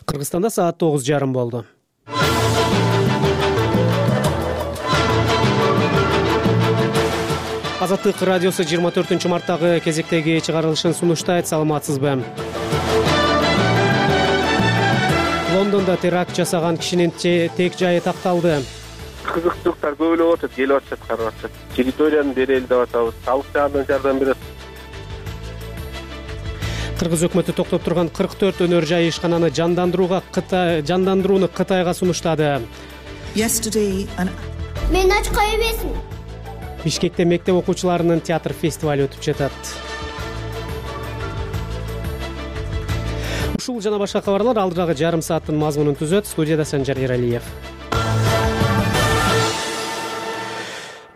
Кыргызстанда саат 9:30 болду. Азаттык радиосу 24-марттагы кезектеги чыгарылышын сунуштайт. Саламатсызбы? Лондондо теракт жасаган кишинин тек жайы такталды. Кызыкчылыктар көп эле болуп атат, келип атышат, карап атышат. Территорияны берели деп атабыз. Салык жагынан жардам берет. Кыргыз өкмөтү токтоп турган 44 өнөр жай ишкананы жандандырууну Кытайга сунуштады. Мен ач кое эмесмин. Бишкекте мектеп окуучуларынын театр фестивали өтүп жатат. Ушул жана башка кабарлар алдыдагы жарым сааттын мазмунун түзөт. Студияда Санжар Эралиев.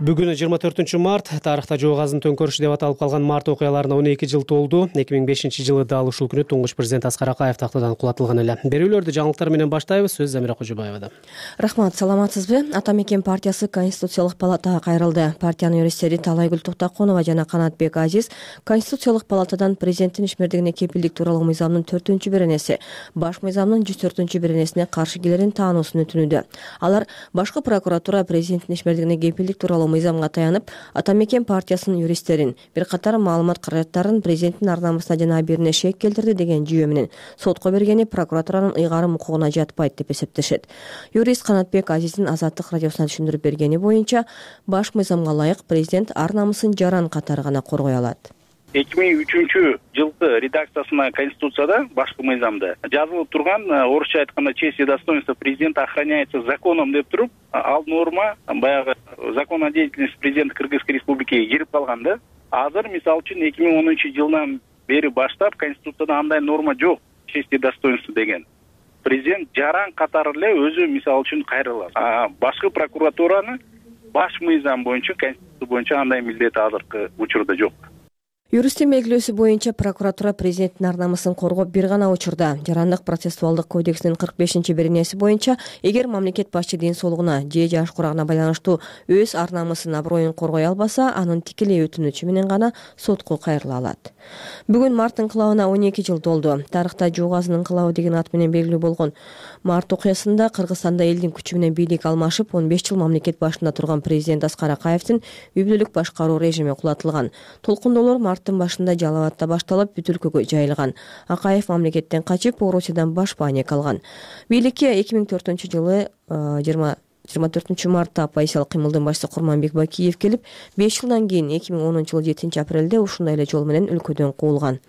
Бүгүн 24-март, тарыхта жок азын төңкөрүш деп аталып калган март окуяларына 12 жыл толду. 2005-жылы дал ушул күнү туңгуч президент Аскар Акаев тактадан кулатылган эле. Берүүлөрдү жаңылыктар менен баштайбыз. Сөз Замира Кожобаевада. Рахмат, саламатсызбы? Ата мекен партиясы Конституциялык палатага кайрылды. Партиянын юристтери Талайгүл Токтоконова жана Канатбек Азиз Конституциялык палатадан президенттин ишмердигине кепилдик тууралуу мыйзамдын 4-беренеси, баш мыйзамдын 104-беренесине каршы келерин таануусун өтүнүүдө. Алар башкы прокуратура президенттин ишмердигине кепилдик тууралуу мыйзамга таянып, Ата мекен партиясынын юристтерин бир катар маалымат каражаттарын президенттин ар намысына жана абийирине шек келтирди деген жүйө менен сотко бергени прокуратуранын ыйгарым укугуна жатпайт деп эсептешет. Юрист Канатбек Азиздин Азаттык радиосуна түшүндүрүп бергени боюнча, баш мыйзамга ылайык президент ар намысын жаран катары гана коргой алат. 2003-жылкы редакциясына Конституцияда башкы мыйзамда жазылып турган, орусча айтканда, честь и достоинство президента охраняется законом деп туруп, ал норма баягы закон о деятельности президента Кыргызской республикиге кирип калган да. Азыр мисалы үчүн 2010-жылдан бери баштап Конституцияда андай норма жок, честь и достоинство деген. Президент жаран катары эле өзү мисалы үчүн кайрылат. Башкы прокуратураны баш мыйзам боюнча, Конституция боюнча андай милдет азыркы учурда жок. Юристтин белгилөөсү боюнча прокуратура президенттин ар намысын коргоп бир гана учурда Жарандык процессуалдык кодексинин 45-беренеси боюнча эгер мамлекет башчы ден соолугуна же жаш курагына байланыштуу өз ар намысын, аброюн коргой албаса, анын тикелей өтүнүчү менен гана сотко кайрыла алат. Бүгүн март инкылабына 12 жыл толду. Тарыхта жок азын инкылабы деген ат менен белгилүү болгон март окуясында Кыргызстанда элдин күчү менен бийлик алмашып, 15 жыл мамлекет башында турган президент Аскар Акаевдин үй бүлөлүк башкаруу режими кулатылган. Толкундоолор марттын башында Жалал абадта башталып, бүт өлкөгө жайылган. Акаев мамлекеттен качып, Орусиядан баш бааник алган. Бийликке 2004-жылы 24-мартта оппозициялык кыймылдын башчысы Курманбек Бакиев келип, 5 жылдан кийин 2010-жылы 7-апрелде ушундай эле жол менен өлкөдөн куулган.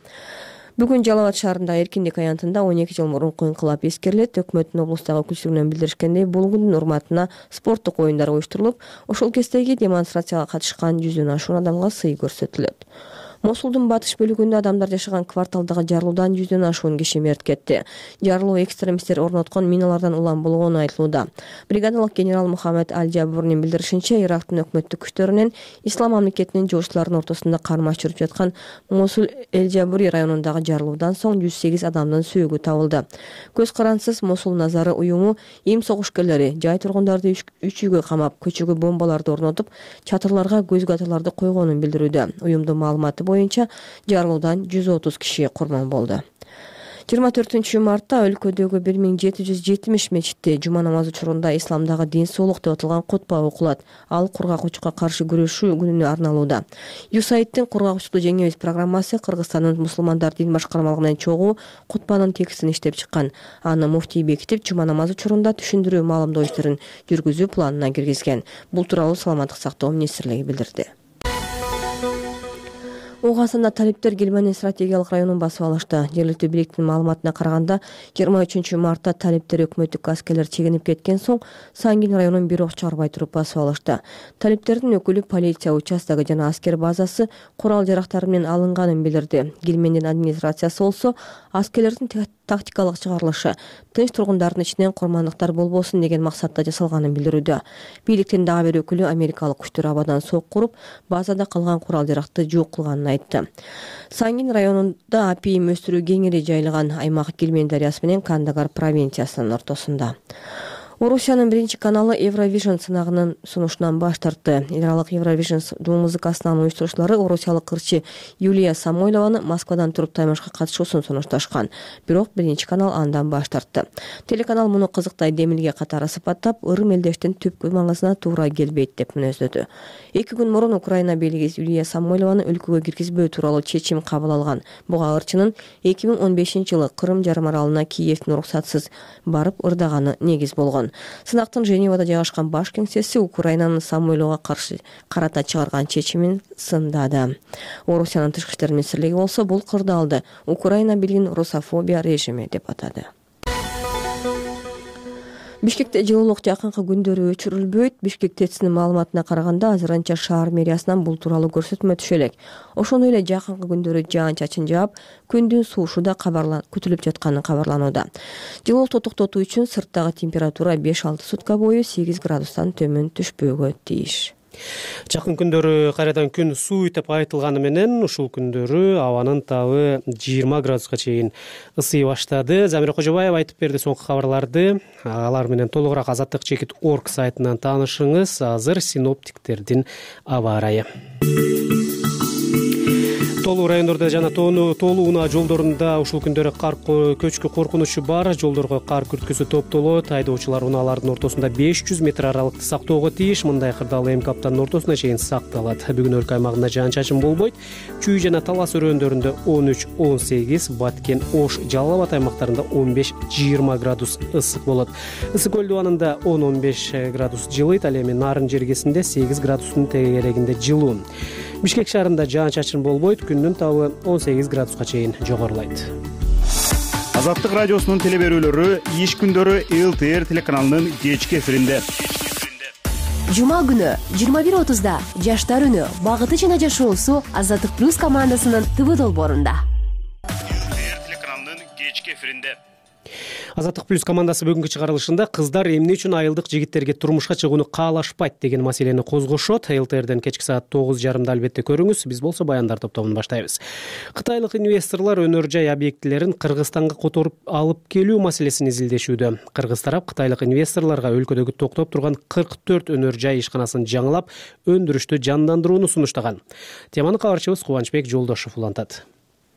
Бүгүн Жалал Абад шаарындагы Эркиндик аянтында 12 жыл мурунку инкылап эскерилет. Өкмөттүн облустагы өкүлчүлүгүнөн билдиришкендей, бул күндүн урматына спорттук оюндар уюштурулуп, ошол кездеги демонстрацияга катышкан 100дөн ашуун адамга сый көрсөтүлөт. Мосулдун батыш бөлүгүндө адамдар жашаган кварталдагы жарылуудан 100дөн ашуун киши мерт кетти. Жарылуу экстремисттер орноткон миналардан улам болгону айтылууда. Бригадалык генерал Мухаммед Аль-Жабурнин билдиришинче, Ирактын өкмөттүк күчтөрүнүн ислам мамлекетинин жоочуларынын ортосунда кармаш жүрүп жаткан Мосул Эль-Жабури районундагы жарылуудан соң 108 адамдын сөөгү табылды. Көз карансыз Мосул Назары уюму эми согушкерлери жай тургундарды 3 үйгө камап, көчөгө бомбаларды орнотуп, чатырларга көз катарларды койгонун билдирүүдө. Уюмдун маалыматы боюнча жарылуудан 130 киши курман болду. 24-мартта өлкөдөгү 1770 мечитте жума намазы учурунда исламдагы дин соолук деп аталган кутба окулат. Ал кургакчылыкка каршы күрөшүү күнүнө арналууда. USAID-тин кургакчылыкты жеңебиз программасы Кыргызстандын мусулмандар дин башкармалыгынын чогуу кутбанын текстин иштеп чыккан. Аны муфтий бекитип, жума намазы учурунда түшүндүрүү маалымдоо иштерин жүргүзүү планына киргизген. Бул тууралуу Саламаттык сактоо министрлиги билдирди. Угасында талиптер Гилманин стратегиялык районун басып алышты. Жергиликтүү бийликтин маалыматына караганда, 23-мартта талиптер өкмөттүк аскерлер чегинип кеткен соң, Сангин районун бир ок чыгарбай туруп басып алышты. Талиптердин өкүлү полиция участогу жана аскер базасы курал жарактары менен алынганын билдирди. Гилмендин администрациясы болсо, аскерлердин тактикалык чыгарылышы тынч тургундардын ичинен курмандыктар болбосун деген максатта жасалганын билдирүүдө. Бийликтин дагы бир өкүлү Америкалык күчтөр абадан сок куруп, базада калган курал жаракты жок кылганын айтты. Сангин районунда апийим өстүрүү кеңири жайылган. Аймак Гилмен дарыясы менен Кандагар провинциясынын ортосунда. Орусиянын биринчи каналы Евровижн сынагынын сунушунан баш тартты. Эл аралык Евровижн дуу музыкасынын уюштуруучулары орусиялык ырчы Юлия Самойлованы Москвадан туруп таймашка катышуусун сунушташкан. Бирок биринчи канал андан баш тартты. Телеканал муну кызыктай демилге катары сыпаттап, ырым элдештин түпкү маңызына туура келбейт деп мүнөздөдү. 2 күн мурун Украина бийлиги Юлия Самойлованы өлкөгө киргизбөө тууралуу чечим кабыл алган. Буга ырчынын 2015-жылы Кырым жарым аралына Киевдин уруксатсыз барып ырдаганы негиз болгон. Сынактын Женевада жайгашкан баш кеңсеси Украинанын Самойловго каршы карата чыгарган чечимин сындады. Орусиянын тышкы иштер министрлиги болсо бул кырдаалды Украина бийлигинин русофобия режими деп атады. Бишкекте жылуулук жакынкы күндөрү өчүрүлбөйт. Бишкек ТЭЦнин маалыматына караганда, азырынча шаар мэриясынан бул тууралуу көрсөтмө түшө элек. Ошондой эле жакынкы күндөрү жаан-чачын жаап, күндүн суушу да күтүлүп жатканы кабарланууда. Жылуулукту токтотуу үчүн сырттагы температура 5-6 сутка бою 8 градустан төмөн түшпөөгө тийиш. Жакын күндөрү кайрадан күн сууйт деп айтылганы менен ушул күндөрү абанын табы 20 градуска чейин ысый баштады. Замира Кожобаева айтып берди соңку кабарларды. Алар менен толугураак azatlyk.org сайтынан таанышыңыз. Азыр синоптиктердин аба ырайы. Толуу райондордо жана тоолуу унаа жолдорунда ушул күндөрү кар көчкү коркунучу бар. Жолдорго кар күрткүсү топтолот. Айдоочулар унаалардын ортосунда 500 метр аралыкты сактоого тийиш. Мындай кырдаал эмки аптанын ортосуна чейин сакталат. Бүгүн өлкө аймагында жаан-чачын болбойт. Чүй жана Талас өрөөндөрүндө 13-18, Баткен, Ош, Жалал Абад аймактарында 15-20 градус ысык болот. Ысык көл дубанында 10-15 градус жылыйт. Ал эми Нарын жергесинде 8 градустун тегерегинде жылуу. Бишкек шаарында жаан-чачын болбойт. Күндүн табы 18 градуска чейин жогорулайт. Азаттык радиосунун телеберүүлөрү иш күндөрү ЛТР телеканалынын кечки эфиринде. Жума күнү 21:30 Жаштар үнү багыты жана жашоосу Азаттык плюс командасынын ТВ долбоорунда. ЛТР телеканалынын кечки эфиринде. Азаттык плюс командасы бүгүнкү чыгарылышында кыздар эмне үчүн айылдык жигиттерге турмушка чыгууну каалашпайт деген маселени козгошот. ЛТРден кечки саат 9:30 албетте көрүңүз. Биз болсо баяндар топтомун баштайбыз. Кытайлык инвесторлор өнөр жай объектилерин Кыргызстанга которуп алып келүү маселесин изилдешүүдө. Кыргыз тарап кытайлык инвесторлорго өлкөдөгү токтоп турган 44 өнөр жай ишканасын жаңылап, өндүрүштү жандандырууну сунуштаган. Теманы кабарчыбыз Кубанычбек Жолдошов улантат.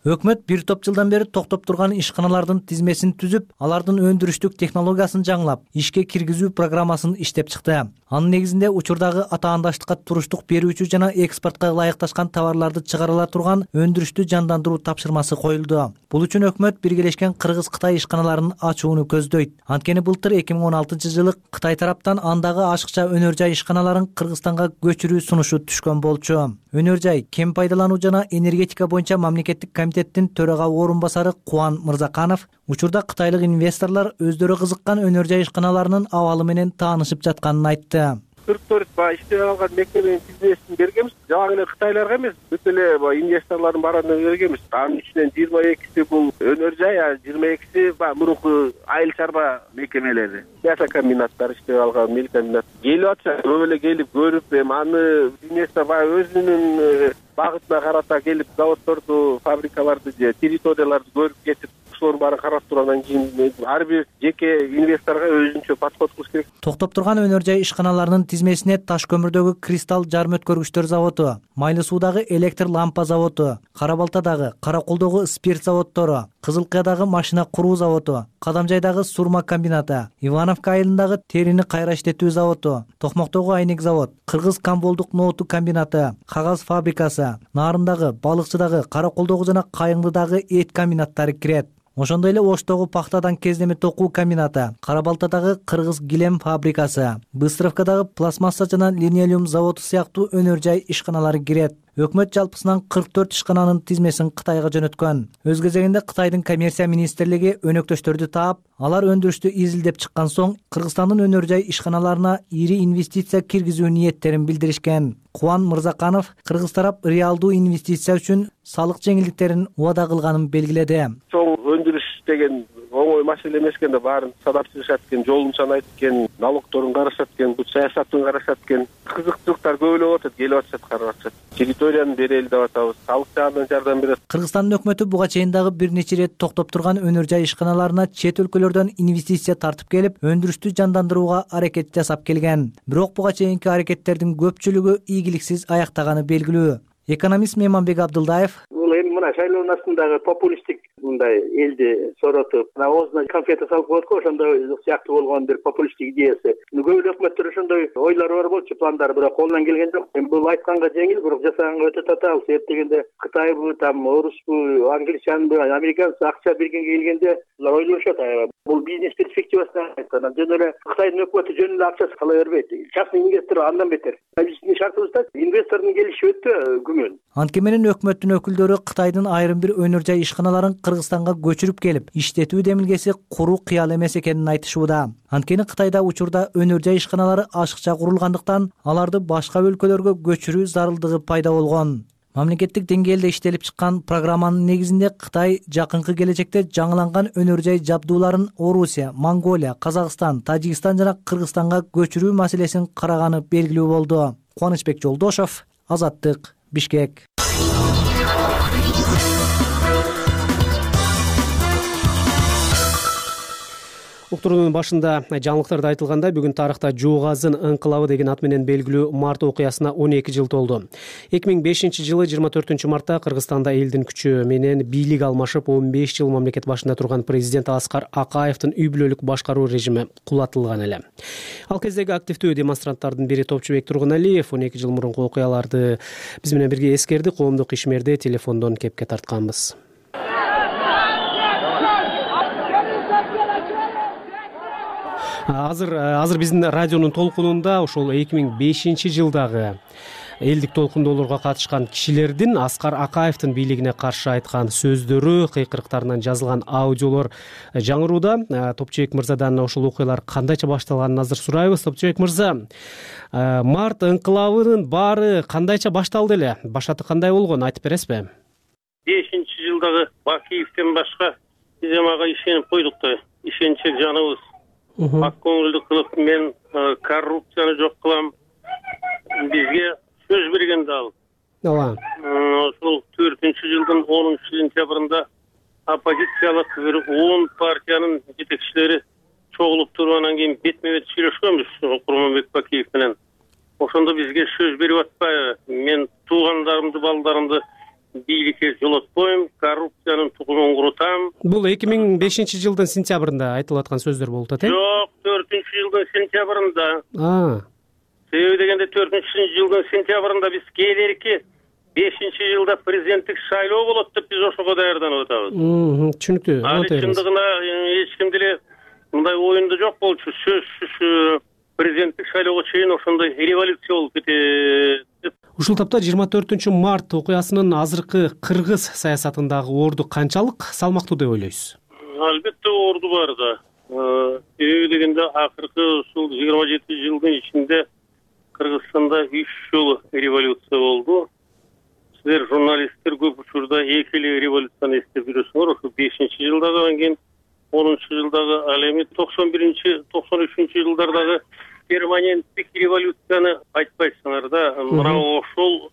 Өкмөт бир топ жылдан бери токтоп турган ишканалардын тизмесин түзүп, алардын өндүрүштүк технологиясын жаңылап, ишке киргизүү программасын иштеп чыкты. Анын негизинде учурдагы атаандаштыкка туруштук берүүчү жана экспортко ылайыкташкан товарларды чыгарыла турган өндүрүштү жандандыруу тапшырмасы коюлду. Бул үчүн өкмөт биргелешкен Кыргыз-Кытай ишканаларын ачууну көздөйт. Анткени былтыр 2016-жылы Кытай тараптан андагы ашыкча өнөр жай ишканаларын Кыргызстанга көчүрүү сунушу түшкөн болчу. Өнөр жай, кен пайдалануу жана энергетика боюнча мамлекеттик комитеттин төрага орун басары Кубан Мырзаканов учурда кытайлык инвесторлор өздөрү кызыккан өнөр жай ишканаларынын абалы менен таанышып жатканын айтты. 44 иштеп алган мекеменин тизмесин бергенбиз. Жана эле кытайларга эмес, бүт эле инвесторлордун баарына бергенбиз. Анын ичинен 22си бул өнөр жай, 22си мурунку айыл чарба мекемелери. Мясокомбинаттар иштеп алган, мелкомбинат. Келип атса, көп эле келип көрүп, аны инвестор өзүнүн багытына карата келип заводдорду, фабрикаларды же территорияларды көрүп кетип, ошолордун баарын карап тургандан кийин ар бир жеке инвесторго өзүнчө подход кылыш керек. Токтоп турган өнөр жай ишканаларынын тизмесине Таш көмүрдөгү Кристалл жарым өткөргүчтөр заводу, Майлы суудагы электр лампа заводу, Кара Балтадагы, Караколдогу спирт заводдору, Кызылкаядагы машина куруу заводу, Кадамжайдагы сурма комбинаты, Ивановка айылындагы терини кайра иштетүү заводу, Токмоктогу айнек завод, Кыргыз Камболдук нооту комбинаты, кагаз фабрикасы, Нарындагы, Балыкчыдагы, Караколдогу жана Кайыңдыдагы эт комбинаттары кирет. Ошондой эле Оштогу пахтадан кездеме токуу комбинаты, Кара Балтадагы Кыргыз килем фабрикасы, Быстровкадагы пластмасса жана линолеум заводу сыяктуу өнөр жай ишканалары кирет. Өкмөт жалпысынан 44 ишкананын тизмесин Кытайга жөнөткөн. Өз кезегинде Кытайдын коммерция министрлиги өнөктөштөрдү таап, алар өндүрүштү изилдеп чыккан соң Кыргызстандын өнөр жай ишканаларына ири инвестиция киргизүү ниеттерин билдиришкен. Кубан Мырзаканов Кыргыз тарап реалдуу инвестиция үчүн салык жеңилдиктерин убада кылганын белгиледи. Соң өндүрүш деген оңой маселе эмес экен да, баарын санап чыгышат экен, жолун санайт экен, налогторун карашат экен, бут саясатын карашат экен. Кызыкчылыктар көп эле болуп атат, келип атышат, карап атышат. Территорияны берели деп атабыз, салык жагынан жардам берет. Кыргызстандын өкмөтү буга чейин дагы бир нече ирет токтоп турган өнөр жай ишканаларына чет өлкөлөрдөн инвестиция тартып келип, өндүрүштү жандандырууга аракет жасап келген. Бирок буга чейинки аракеттердин көпчүлүгү ийгиликсиз аяктаганы белгилүү. Экономист Мейманбек Абдылдаев: Эми мына шайлоонун астындагы популисттик мындай элди соротуп, оозуна конфета салып коет го, ошондой сыяктуу болгон бир популисттик идеясы. Көп эле өкмөттөр ошондой ойлору бар болчу, пландары, бирок колунан келген жок. Эми бул айтканга жеңил, бирок жасаганга өтө татаал. Себеп дегенде Кытайбы, там орусбу, англичанбы, американчы акча бергенге келгенде булар ойлошот. Бул бизнес перспективасынан айтканда жөн эле Кытайдын өкмөтү жөн эле акчасы кала бербейт. Частный инвестор андан бетер. Биздин шартыбызда инвестордун келиши өтө күмөн. Антке менен өкмөттүн өкүлдөрү Кытайдын айрым бир өнөр жай ишканаларын Кыргызстанга көчүрүп келип, иштетүү демилгеси куру кыял эмес экенин айтышууда. Анткени Кытайда учурда өнөр жай ишканалары ашыкча курулгандыктан аларды башка өлкөлөргө көчүрүү зарылдыгы пайда болгон. Мамлекеттик деңгээлде иштелип чыккан программанын негизинде Кытай жакынкы келечекте жаңыланган өнөр жай жабдууларын Орусия, Монголия, Казакстан, Тажикстан жана Кыргызстанга көчүрүү маселесин караганы белгилүү болду. Кубанычбек Жолдошов, Азаттык, Бишкек. Уктуруунун башында жаңылыктарда айтылгандай, бүгүн тарыхта Жуугазын ыңкылабы деген ат менен белгилүү март окуясына 12 жыл толду. 2005 жылы 24 мартта Кыргызстанда элдин күчү менен бийлик алмашып, 15 жыл мамлекет башында турган президент Аскар Акаевдин үй бүлөлүк башкаруу режими кулатылган эле. Ал кездеги активдүү демонстранттардын бири Топчубек Тургуналиев 12 жыл мурунку окуяларды биз менен бирге эскерди. Коомдук ишмерди телефондон кепке тартканбыз. Азыр биздин радионун толкунунда ошол 2005 жылдагы элдик толкундоолорго катышкан кишилердин Аскар Акаевдин бийлигине каршы айткан сөздөрү, кыйкырыктарынан жазылган аудиолор жаңырууда. Топчубек мырзадан ошол окуялар кандайча башталганын азыр сурайбыз. Топчубек мырза, март ыңкылабынын баары кандайча башталды эле? Башаты кандай болгон, айтып бересизби? 5-жылдагы Бакиевден башка биз ага ишенип койдук да, ишенчек жаныбыз. Ак көңүлдүү кылып мен коррупцияны жок кылам. Бизге сөз берген да ал. Ооба. Ошол 4-жылдын 10-сентябрында оппозициялык бир 10 партиянын жетекчилери чогулуп туруп, анан кийин бетме-бет сүйлөшкөнбүз Курманбек Бакиев менен. Ошондо бизге сөз берип атпайбы? Мен туугандарымды, балдарымды бийликке жолотпойм, коррупциянын тукумун курутам. Бул 2005 жылдын сентябрында айтылып аткан сөздөр болуп атат, Жок, 4-жылдын сентябрында. Себеби дегенде 4-жылдын сентябрында биз кээдерки 5-жылда президенттик шайлоо болот деп биз ошого даярданып атабыз. Түшүнүктүү. Ал чындыгына эч ким деле мындай оюнда жок болчу. Сөзсүз президенттик шайлоого чейин ошондой революция болуп кетет. Ушул тапта 24 март окуясынын азыркы кыргыз саясатындагы орду канчалык салмактуу деп ойлойсуз? Албетте орду бар да. Себеби дегенде акыркы ушул 27 жылдын ичинде Кыргызстанда 3 жолу революция болду. Силер журналисттер көп учурда эки эле революцияны эстеп жүрөсүңөр. Ошо 5-жылдагы, анан кийин 10-жылдагы, ал эми 91-93 жылдардагы перманенттик революцияны айтпайсыңар да. Мына ошол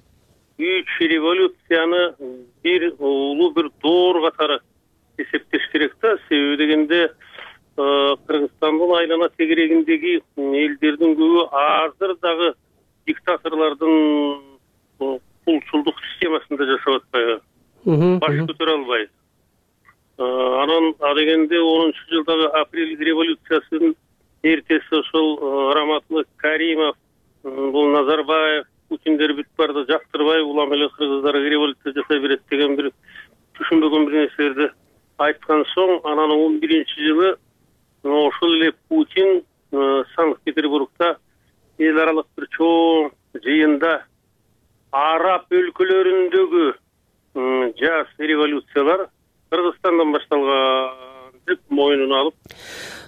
3 революцияны бир улуу бир доор катары эсептеш керек да. Себеби дегенде Кыргызстандын айлана тегерегиндеги элдердин көбү азыр дагы диктаторлордун кулчулдук системасында жашап атпайбы? Баш көтөрө албайбы? Анан дегенде 10-жылдагы апрель революциясынын эртеси ошол Раматлы Каримов, бул Назарбаев, Путиндер бүт барды жактырбай, улам эле кыргыздар революция жасай берет деген бир түшүнбөгөн бир нерселерди айткан соң, анан 11-жылы ошол эле Путин Санкт-Петербургда эл аралык бир чоң жыйында араб өлкөлөрүндөгү жаш революциялар Кыргызстандан башталган деп мойнуна алып.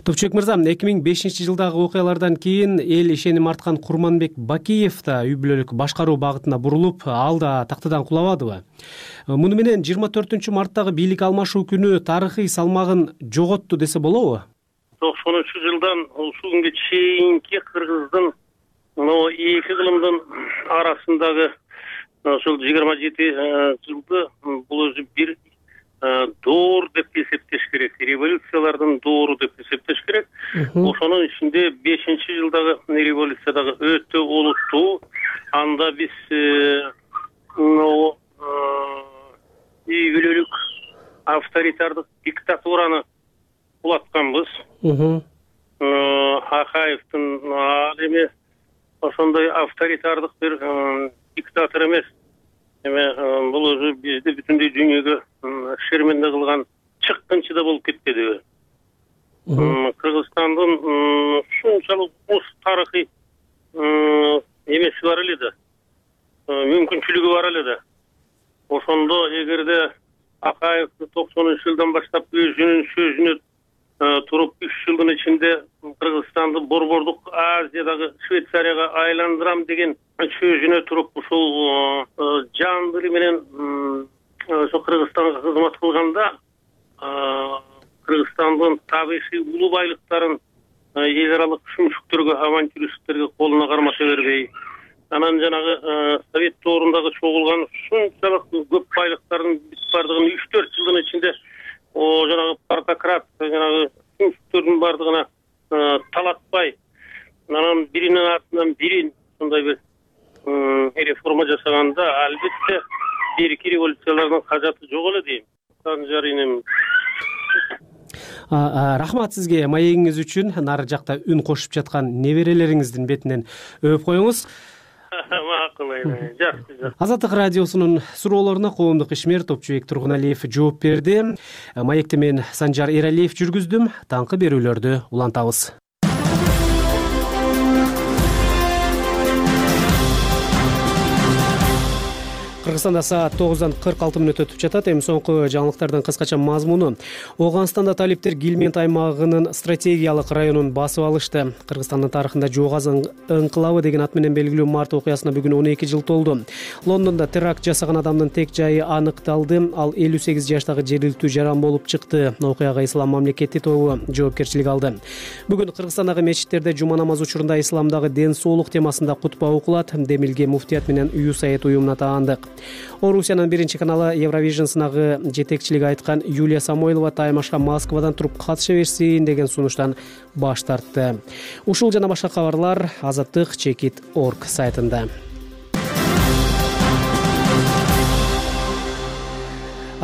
Топчубек мырза, 2005-жылдагы окуялардан кийин эл ишеним арткан Курманбек Бакиев да үй бүлөлүк башкаруу багытына бурулуп, ал да тактыдан кулабадыбы? Муну менен 24-марттагы бийлик алмашуу күнү тарыхый салмагын жоготту десе болобу? 90-жылдан ушул күнгө чейинки Кыргыздын эки кылымдын арасындагы ошол 27 жылды бул өзү бир доор деп эсептеш керек, революциялардын доору деп эсептеш керек. Ошонун ичинде 5-жылдагы революция дагы өтө олуттуу. Анда биз үй бүлөлүк авторитардык диктатураны кулатканбыз. Акаевдин ал эми ошондой авторитардык бир диктатор эмес. Бул өзү бизди бүтүндөй дүйнөгө шерменде кылган чыккынчы да болуп кетпедиби? Кыргызстандын ушунчалык уз тарыхый эмеси бар эле да, мүмкүнчүлүгү бар эле да. Ошондо эгерде Акаев 90-жылдан баштап өзүнүн сөзүнө туруп 3 жылдын ичинде Кыргызстанды борбордук Азиядагы Швейцарияга айландырам деген сөзүнө туруп ушул жан дили менен ошо Кыргызстанга кызмат кылганда Кыргызстандын табигый улуу байлыктарын эл аралык шүмшүктөргө, авантюристтерге колуна кармата бербей, анан жанагы Совет доорундагы чогулган ушунчалык көп байлыктардын бардыгын 3-4 жылдын ичинде жанагы партократ жанагы шүмшүктөрдүн бардыгына талатпай, анан биринин артынан бирин сондай бир реформа жасаганда албетте берки революциялардын кажаты жок эле дейм. Санжар инем. Рахмат сизге маегиңиз үчүн. Нары жакта үн кошуп жаткан неберелериңиздин бетинен өп коюңуз. Макул, жакшы. Азаттык радиосунун суроолоруна коомдук ишмер Топчубек Тургуналиев жооп берди. Маекти мен Санжар Эралиев жүргүздүм. Таңкы берүүлөрдү улантабыз. Кыргызстанда саат 9:46 өтүп жатат. Эми соңку жаңылыктардын кыскача мазмуну. Ооганстанда талиптер Гилмент аймагынын стратегиялык районун басып алышты. Кыргызстандын тарыхында Жоогаз ыңкылабы деген ат менен белгилүү март окуясына бүгүн 12 жыл толду. Лондондо теракт жасаган адамдын тек жайы аныкталды. Ал 58 жаштагы жергиликтүү жаран болуп чыкты. Окуяга Ислам мамлекети тобу жоопкерчилик алды. Бүгүн Кыргызстандагы мечиттерде жума намаз учурунда исламдагы ден соолук темасында кутба окулат. Демилге муфтият менен үй саят уюмуна таандык. Орусиянын биринчи каналы Евровижн сынагы жетекчилиги айткан Юлия Самойлова таймашка Москвадан туруп катыша берсин деген сунуштан баш тартты. Ушул жана башка кабарлар азаттык.org сайтында.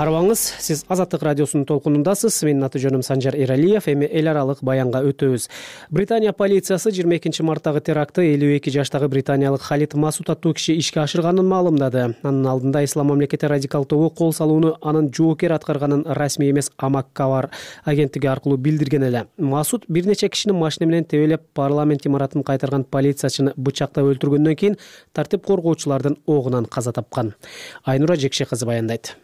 Арыбаңыз, сиз Азаттык радиосунун толкунундасыз. Менин аты жөнүм Санжар Эралиев. Эми эл аралык баянга өтөбүз. Британия полициясы 22 марттагы терактты 52 жаштагы британиялык Халид Масуд аттуу киши ишке ашырганын маалымдады. Анын алдында Ислам мамлекети радикал тобу кол салууну анын жоокер аткарганын расмий эмес Амак-Кавар агенттиги аркылуу билдирген эле. Масуд бир нече кишини машина менен тебелеп парламент имаратын кайтарган полициячыны бычактап өлтүргөндөн кийин тартип коргоочулардын огунан каза тапкан. Айнура Жекше кызы баяндайт.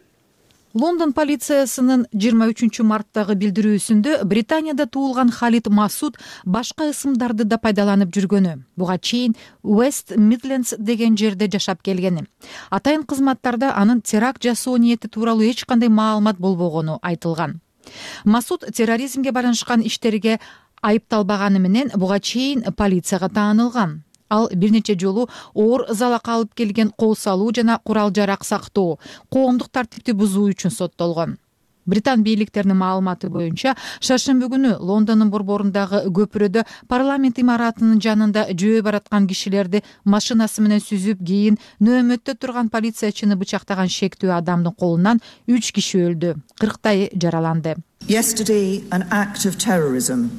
Лондон полициясынын 23 марттагы билдирүүсүндө Британияда туулган Халид Масуд башка ысымдарды да пайдаланып жүргөнү, буга чейин West Midlands деген жерде жашап келгени. Атайын кызматтарда анын теракт жасоо ниети тууралуу эч кандай маалымат болбогону айтылган. Масуд терроризмге байланышкан иштерге айыпталбаганы менен буга чейин полицияга таанылган. Ал бир нече жолу оор залак алып келген кол салуу жана курал жарак сактоо, коомдук тартипти бузуу үчүн соттолгон. Британ бийликтеринин маалыматы боюнча, шаршемби күнү Лондондун борборундагы көпүрөдө парламент имаратынын жанында жөө бараткан кишилерди машинасы менен сүзүп, кийин нөөмөттө турган полициячыны бычактаган шектүү адамдын колунан 3 киши өлдү, 40 жараланды. Yesterday, an act of terrorism.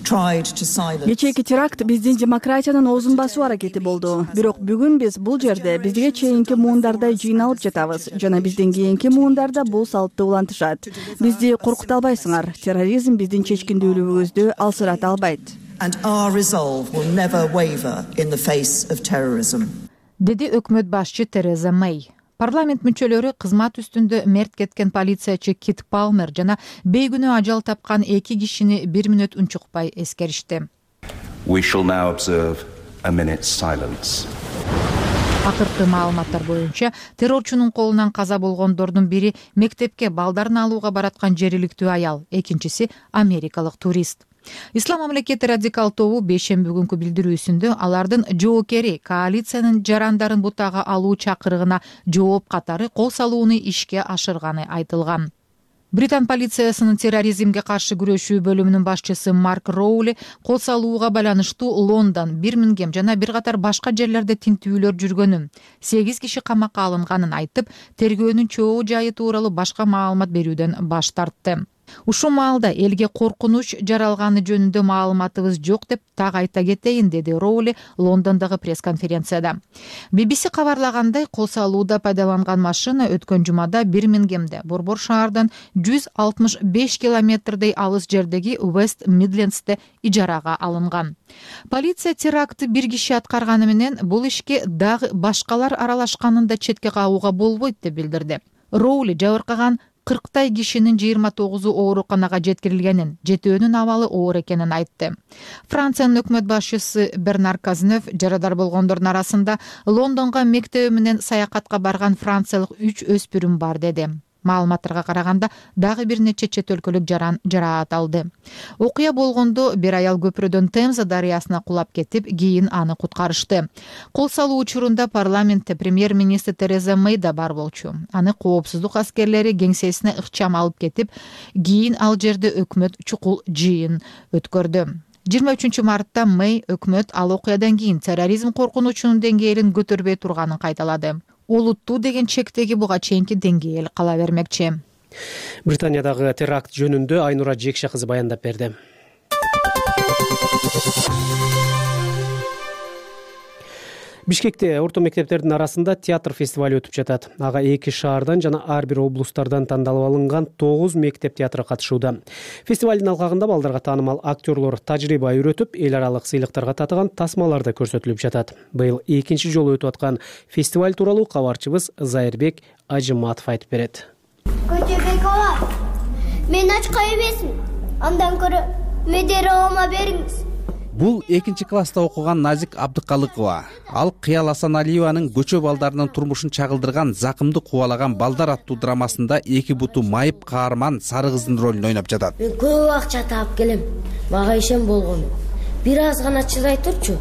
Кечээки теракт биздин демократиянын оозун басуу аракети болду. Бирок бүгүн биз бул жерде бизге чейинки муундардай жыйналып жатабыз жана бизден кийинки муундарда бул салтты улантышат. Бизди коркута албайсыңар. Терроризм биздин чечкиндүүлүгүбүздү алсырата албайт. Деди өкмөт башчы Тереза Мэй. Парламент мүчөлөрү кызмат үстүндө мерт кеткен полициячы Кит Палмер жана бейгүнөө ажал тапкан 2 кишини 1 мүнөт унчукпай эскеришти. We shall now observe a minute's silence. Акыркы маалыматтар боюнча террорчунун колунан каза болгондордун бири мектепке балдарын алууга бараткан жергиликтүү аял, экинчиси америкалык турист. Ислам мамлекети радикал тобу бейшемби күнкү билдирүүсүндө алардын жоокери коалициянын жарандарын бутага алуу чакырыгына жооп катары кол салууну ишке ашырганы айтылган. Британ полициясынын терроризмге каршы күрөшүү бөлүмүнүн башчысы Марк Роули кол салууга байланыштуу Лондон, Бирмингем жана бир катар башка жерлерде тинтүүлөр жүргөнүн, 8 киши камакка алынганын айтып, тергөөнүн чогуу жайы тууралуу башка маалымат берүүдөн баш тартты. Ушул маалда элге коркунуч жаралганы жөнүндө маалыматыбыз жок деп так айта кетейин, деди Роули Лондондогу пресс-конференцияда. BBC кабарлагандай, кол салууда пайдаланган машина өткөн жумада Бирмингемде, Борбор шаардан 165 километрдей алыс жердеги West Midlands'те ижарага алынган. Полиция терактты бир киши аткарганы менен бул ишке дагы башкалар аралашканын да четке кагууга болбойт деп билдирди. Роули жабыркаган 40 кишинин 29 ооруканага жеткирилгенин, 7-өнүн абалы оор экенин айтты. Франциянын өкмөт башчысы Бернар Казнев жарадар болгондордун арасында Лондонго мектеби менен саякатка барган франциялык 3 өспүрүм бар деди. Маалыматтарга караганда дагы бир нече чет өлкөлүк жараат алды. Окуя болгондо бир аял көпүрөдөн Темза дарыясына кулап кетип, кийин аны куткарышты. Кол салуу учурунда парламентте премьер-министр Тереза Мэй да бар болчу. Аны коопсуздук аскерлери кеңсесине ыкчам алып кетип, кийин ал жерде өкмөт чукул жыйын өткөрдү. 23 мартта Мэй өкмөт ал окуядан кийин терроризм коркунучунун деңгээлин көтөрбөй турганын кайталады. Олуттуу деген чектеги буга чейинки деңгээл кала бермекчи. Британиядагы теракт жөнүндө Айнура Жекше кызы баяндап берди. Бишкекте орто мектептердин арасында театр фестивали өтүп жатат. Ага 2 шаардан жана ар бир облустардан тандалып алынган 9 мектеп театры катышууда. Фестивалдын алкагында балдарга таанымал актерлор тажрыйба үйрөтүп, эл аралык сыйлыктарга татыган тасмалар да көрсөтүлүп жатат. Быйыл 2-чи жолу өтүп аткан фестиваль тууралуу кабарчыбыз Зайырбек Ажыматов айтып берет. Көчөбек ага, мен ачка эмесмин. Андан көрө медер оома бериңиз. Бул 2 класста окуган Назик Абдыкалыкова. Ал Кыял Асаналиеванын көчө балдарынын турмушун чагылдырган Закымды кубалаган балдар аттуу драмасында 2 буту майып каарман сары кыздын ролун ойноп жатат. Мен көп акча таап келем. Мага ишен болгон. Бир аз гана чыдай турчу.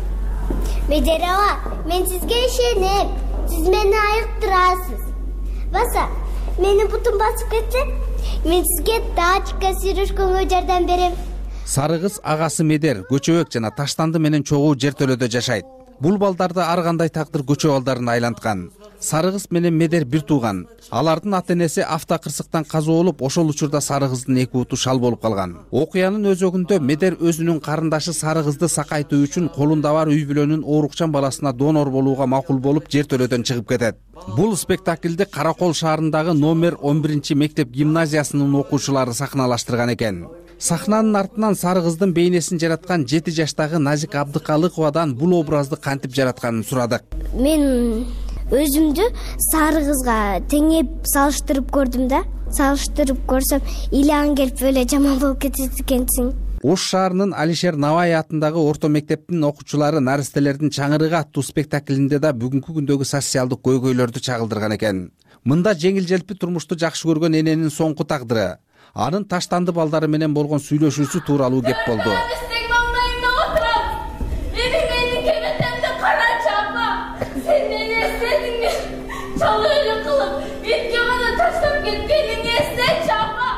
Медер ага, мен сизге ишенем. Сиз мени айыктырасыз. Баса, мени бутум басып кетсе, мен сизге тачка сүйрөшкөнгө жардам берем. Сары кыз агасы Медер көчөбөк жана Таштанды менен чогуу жертөлөдө жашайт. Бул балдарды ар кандай тагдыр көчө балдарына айланткан. Сары кыз менен Медер бир тууган. Алардын ата-энеси автокырсыктан каза болуп, ошол учурда сары кыздын 2 буту шал болуп калган. Окуянын өзөгүндө Медер өзүнүн карындашы сары кызды сакайтуу үчүн колунда бар үй бүлөнүн оорукчан баласына донор болууга макул болуп, жертөлөдөн чыгып кетет. Бул спектакльди Каракол шаарындагы номер 11 мектеп гимназиясынын окуучулары сахналаштырган экен. Сахнанын артынан сары кыздын бейнесин жараткан 7 жаштагы Назик Абдыкалыковадан бул образды кантип жаратканын сурадык. Мен өзүмдү сары кызга теңеп салыштырып көрдүм да. Салыштырып көрсөм, илан келип эле жаман болуп кетет экенсиң. Ош шаарынын Алишер Навай атындагы орто мектептин окуучулары Наристелердин чаңырыгы аттуу спектаклинде да бүгүнкү күндөгү социалдык көйгөйлөрдү чагылдырган экен. Мында жеңил желпи турмушту жакшы көргөн эненин соңку тагдыры, анын Таштанды балдары менен болгон сүйлөшүүсү тууралуу кеп болду.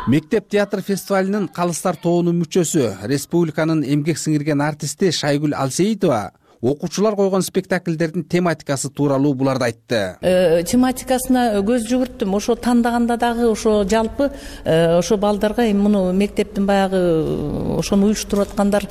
Мектеп театр фестивалынын Калыстар тобунун мүчөсү, республиканын эмгек сиңирген артисти Шайгүл Алсеитова окуучулар койгон спектакльдердин тематикасы тууралуу буларды айтты. Тематикасына көз жүгүрттүм. Ошо тандаганда дагы ошо жалпы ошо балдарга муну мектептин баягы ошону уюштуруп аткандар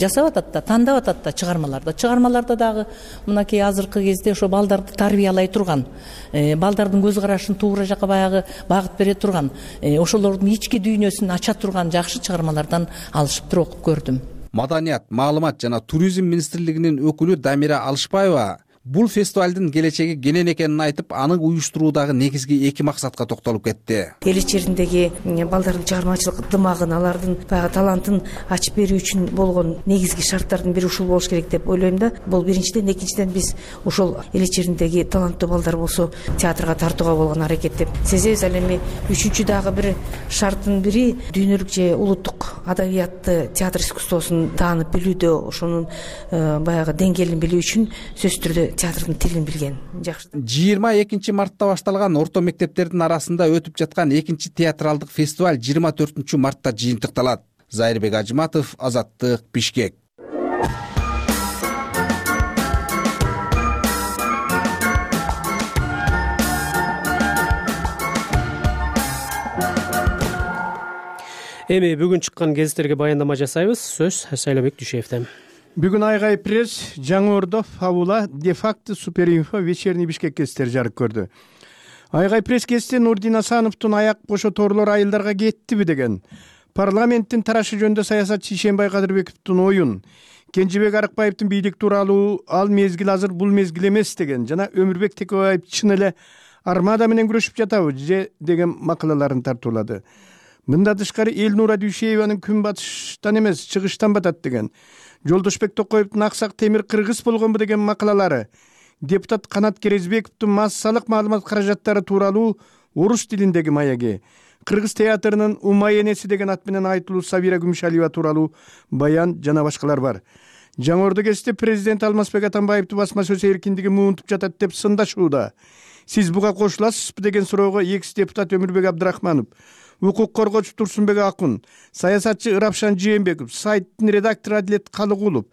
жасап атат да, тандап атат да чыгармаларда. Чыгармаларда дагы мынакей азыркы кезде ошо балдарды тарбиялай турган, балдардын көз карашын туура жакка баягы багыт бере турган, ошолордун ички дүйнөсүн ача турган жакшы чыгармалардан алышып туруп окуп көрдүм. Маданият, маалымат жана туризм министрлигинин өкүлү Дамира Алышбаева Бул фестивалдын келечеги кенен экенин айтып, аны уюштуруудагы негизги 2 максатка токтолуп кетти. Эл ичеридеги балдардын чыгармачылык дымагын, алардын баягы талантын ачып берүү үчүн болгон негизги шарттардын бири ушул болуш керек деп ойлойм да. Бул биринчиден, экинчиден биз ошол эл ичеридеги таланттуу балдар болсо театрга тартууга болгон аракет деп сезебиз. Ал эми үчүнчү дагы бир шарттын бири дүйнөлүк же улуттук адабиятты, театр искусствосун таанып билүүдө, ошонун баягы деңгээлин билүү үчүн сөзсүз түрдө театрдын тилин билген жакшы. 22 мартта башталган орто мектептердин арасында өтүп жаткан экинчи театралдык фестиваль 24 мартта жыйынтыкталат. Зайырбек Ажыматов, Азаттык, Бишкек. Эми бүгүн чыккан гезиттерге баяндама жасайбыз. Сөз Сайлообек Дүйшеевден. Бүгүн Айгай пресс, Жаңы Ордо, Фабула, де-факто, Суперинфо, Вечерний Бишкек гезиттери жарык көрдү. Айгай пресс гезити Нурдин Асановдун аяк бошо торлор айылдарга кеттиби деген, парламенттин тарашы жөнүндө саясатчы Ишенбай Кадырбековдун оюн, Кенжебек Арыкбаевдин бийлик тууралуу ал мезгил азыр, бул мезгил эмес деген жана Өмүрбек Текебаев чын эле армада менен күрөшүп жатабы же деген макалаларын тартуулады. Мында тышкары Элнура Дүйшееванын күн батыштан эмес, чыгыштан батат деген, Жолдошбек Токоевдун аксак темир кыргыз болгонбу деген макалалары, депутат Канат Керезбековдун массалык маалымат каражаттары тууралуу орус тилиндеги маяги, Кыргыз театрынын Умай энеси деген ат менен айтылуу Сабира Күмүшалиева тууралуу баян жана башкалар бар. Жаңы Ордо гезити президент Алмазбек Атамбаевди басма сөз эркиндиги муунтуп жатат деп сындашууда. Сиз буга кошуласызбы деген суроого экс депутат Өмүрбек Абдрахманов, укук коргоочу Турсунбек Акун, саясатчы Ырапшан Жээнбеков, сайттын редактору Адилет Калыгулов,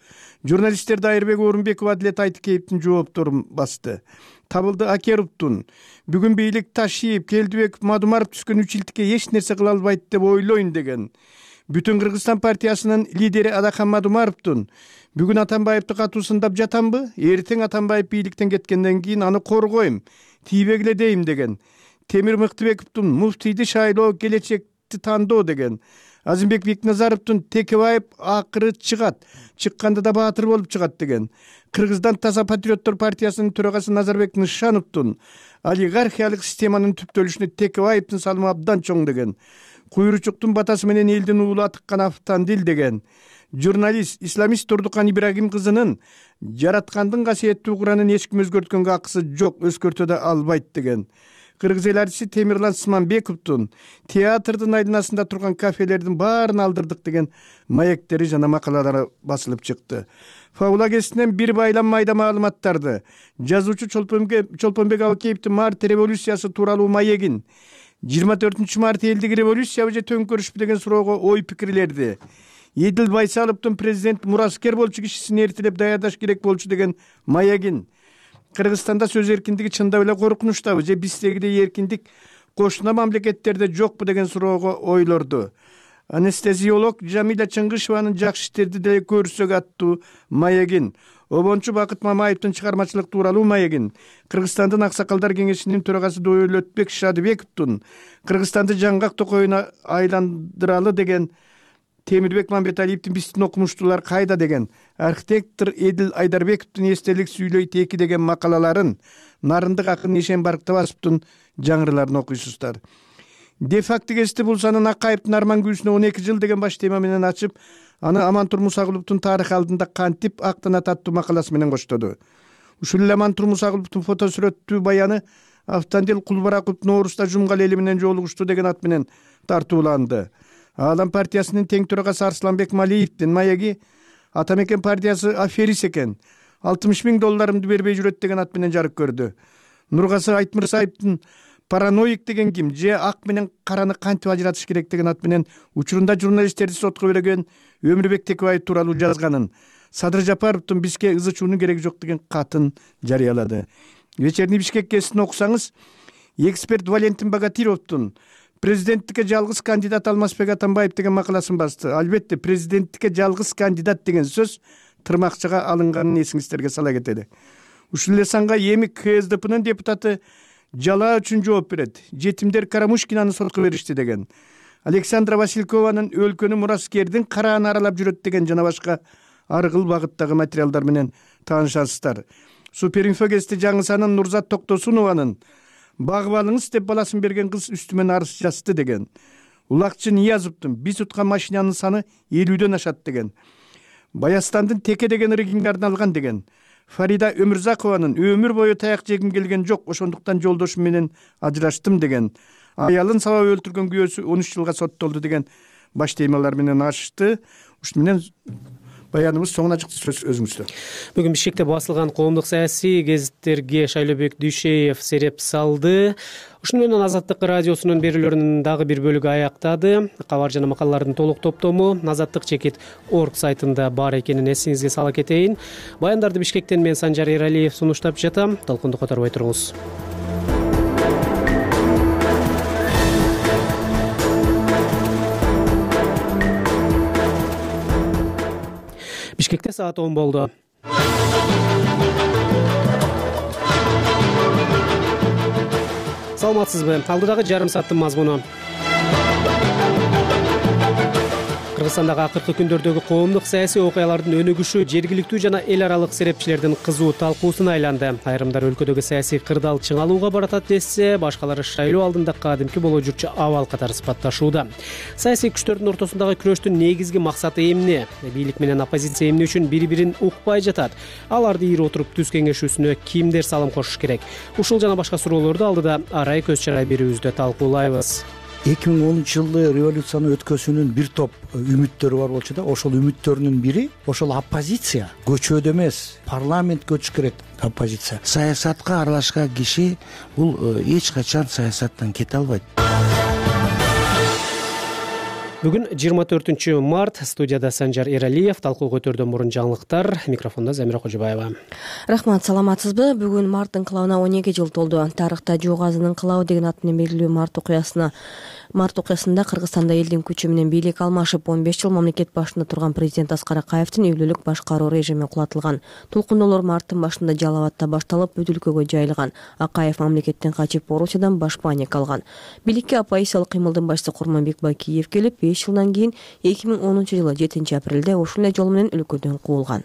журналисттер Дайырбек Орунбеков, Адилет Айтыкеевдин жоопторун басты. Табылды Акеровдун бүгүн бийлик Ташиев, Келдибеков, Мадумаров түскөн 3 жылдыкка эч нерсе кыла албайт деп ойлойм деген. Бүтүн Кыргызстан партиясынын лидери Адахан Мадумаровдун бүгүн Атамбаевди катуу сындап жатамбы? Эртең Атамбаев бийликтен кеткенден кийин аны коргойм, тийбегиле дейм деген. Темир Мыктыбековдун муфтийди шайлоо келечекти тандоо деген. Азимбек Бекназаровдун Текебаев акыры чыгат, чыкканда да баатыр болуп чыгат деген. Кыргыздан таза патриоттор партиясынын төрагасы Назарбек Нышановдун олигархиялык системанын түптөлүшүнө Текебаевдин салымы абдан чоң деген. Куйручуктун батасы менен элдин уулу атыккан Автандил деген. Журналист исламист Турдукан Ибрагим кызынын жараткандын касиеттүү Куранын эч ким өзгөрткөнгө акысы жок, өзгөртө да албайт деген. Кыргыз эл артисти Темирлан Сманбековдун театрдын айланасында турган кафелердин баарын алдырдык деген маектери жана макалалары басылып чыкты. Фабула гезитинен бир байлам майда маалыматтарды, жазуучу Чолпонбек Абакеевдин март революциясы тууралуу маегин, 24 март элдик революциябы же төңкөрүшпү деген суроого ой пикирлерди, Эдил Байсаловдун президент мураскер болчу кишисин эртелеп даярдаш керек болчу деген маегин, Кыргызстанда сөз эркиндиги чындап эле коркунучтабы же биздегидей эркиндик кошуна мамлекеттерде жокпу деген суроого ойлорду. Анестезиолог Жамиля Чыңгышеванын жакшы иштерди деле көрсөк аттуу маегин, обончу Бакыт Мамаевдин чыгармачылык тууралуу маегин, Кыргызстандын аксакалдар кеңешинин төрагасы Дөөлөтбек Шадыбековдун Кыргызстанды жаңгак токоюна айландыралы деген, Темирбек Мамбеталиевдин биздин окумуштуулар кайда деген, архитектор Эдил Айдарбековдун эстелик сүйлөйт 2 деген макалаларын, нарындык акын Ишенбарк Табасовдун жаңырыларын окуйсуздар. Де-факто гезити Булсанын Акаевдин Арман күүсүнө 12 жыл деген баш тема менен ачып, аны Амантур Мусагуловдун тарых алдында кантип актана таттуу макаласы менен коштоду. Ушул эле Амантур Мусагуловдун фотосүрөттүү баяны Автандил Кулбараковдун Нооруста Жумгал эли менен жолугушту деген ат менен тартууланды. Алам партиясынын тең төрагасы Арсланбек Малиевдин маеги Атамекен партиясы аферист экен, $60,000 бербей жүрөт деген ат менен жарык көрдү. Нургасы Айтмырсаевдин параноик деген ким же ак менен караны кантип ажыратыш керек деген ат менен учурунда журналисттерди сотко берген Өмүрбек Текебаев тууралуу жазганын, Садыр Жапаровдун бизге ызычуунун кереги жок деген катын жарыялады. Вечерний Бишкек гезитин окусаңыз, эксперт Валентин Богатировдун президенттикке жалгыз кандидат Алмазбек Атамбаев деген макаласын басты. Албетте президенттикке жалгыз кандидат деген сөз тырмакчага алынганын эсиңиздерге сала кетели. Ушул эле санга эми КСДПнын депутаты жалаа үчүн жооп берет. Жетимдер Карамушкинаны сотко беришти деген. Александра Василькованын өлкөнү мураскердин карааны аралап жүрөт деген жана башка аргыл багыттагы материалдар менен таанышасыздар. Суперинфо кести жаңы санын Нурзат Токтосунованын багып алыңыз деп баласын берген кыз үстүмөн арыз жазды деген. Улакчы Ниязовдун биз уткан машинанын саны 50дөн ашат деген. Баястандын Теке деген регинге арналган деген. Фарида Өмүрзакованын өмүр бою таяк жегим келген жок, ошондуктан жолдошум менен ажыраштым деген. Аялын сабап өлтүргөн күйөөсү 13 жылга соттолду деген баш темалар менен ашты. Ушуну менен баяныбыз соңуна чыкты. Сөз өзүңүздө. Бүгүн Бишкекте басылган коомдук саясий гезиттерге Шайлообек Дүйшеев сереп салды. Ушуну менен Азаттык радиосунун берүүлөрүнүн дагы бир бөлүгү аяктады. Кабар жана макалалардын толук топтому azattik.org сайтында бар экенин эсиңизге сала кетейин. Баяндарды Бишкектен мен Санжар Эралиев сунуштап жатам. Толкунду которбой туруңуз. Бишкекте саат 10 болду. Саламатсызбы? Алдыдагы жарым сааттын мазмуну. Кыргызстандагы акыркы күндөрдөгү коомдук саясий окуялардын өнүгүшү жергиликтүү жана эл аралык серепчилердин кызуу талкуусуна айланды. Айрымдар өлкөдөгү саясий кырдаал чыңалууга баратат десе, башкалары шайлоо алдында кадимки боло жүрчү абал катары сыпатташууда. Саясий күчтөрдүн ортосундагы күрөштүн негизги максаты эмне? Бийлик менен оппозиция эмне үчүн бири-бирин укпай жатат? Аларды ийип отуруп түз кеңешүүсүнө кимдер салым кошуш керек? Ушул жана башка суроолорду алдыда арай көз чарай берүүбүздө талкуулайбыз. 2010-жылы революцияны өткөзүүнүн бир топ үмүттөрү бар болчу да, ошол үмүттөрүнүн бири ошол оппозиция. Көчөдө эмес, парламентке өтүш керек оппозиция. Саясатка аралашкан киши бул эч качан саясаттан кете албайт. Бүгүн 24 март, студияда Санжар Эралиев, талкуу көтөрдөн мурун жаңылыктар, микрофондо Замира Кожобаева. Рахмат, саламатсызбы? Бүгүн март ыңкылабына 12 жыл толду. Тарыхта жок азын ыңкылабы деген аты менен белгилүү март окуясында Кыргызстанда элдин күчү менен бийлик алмашып 15 жыл мамлекет башында турган президент Аскар Акаевдин үйлүүлүк башкаруу режими кулатылган. Толкундоолор марттын башында Жалал абадта башталып, бүт өлкөгө жайылган. Акаев мамлекеттен качып Орусиядан баш паника алган. Бийликке оппозициялык кыймылдын башчысы Курманбек Бакиев келип, 5 жылдан кийин 2010-жылы 7-апрелде ошол эле жол менен өлкөдөн куулган.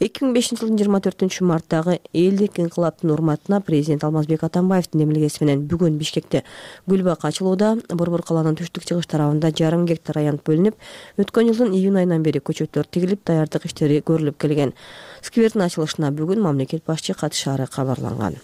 2005-жылдын 24 марттагы элдик ыңкылаптын урматына президент Алмазбек Атамбаевдин демилгеси менен бүгүн Бишкекте гүл бак ачылууда. Борбор калаанын түштүк-чыгыш тарабында 1,5 гектар аянт бөлүнүп, өткөн жылдын июнь айынан бери көчөттөр тигилип, даярдык иштери көрүлүп келген. Сквердин ачылышына бүгүн мамлекет башчы катышаары кабарланган.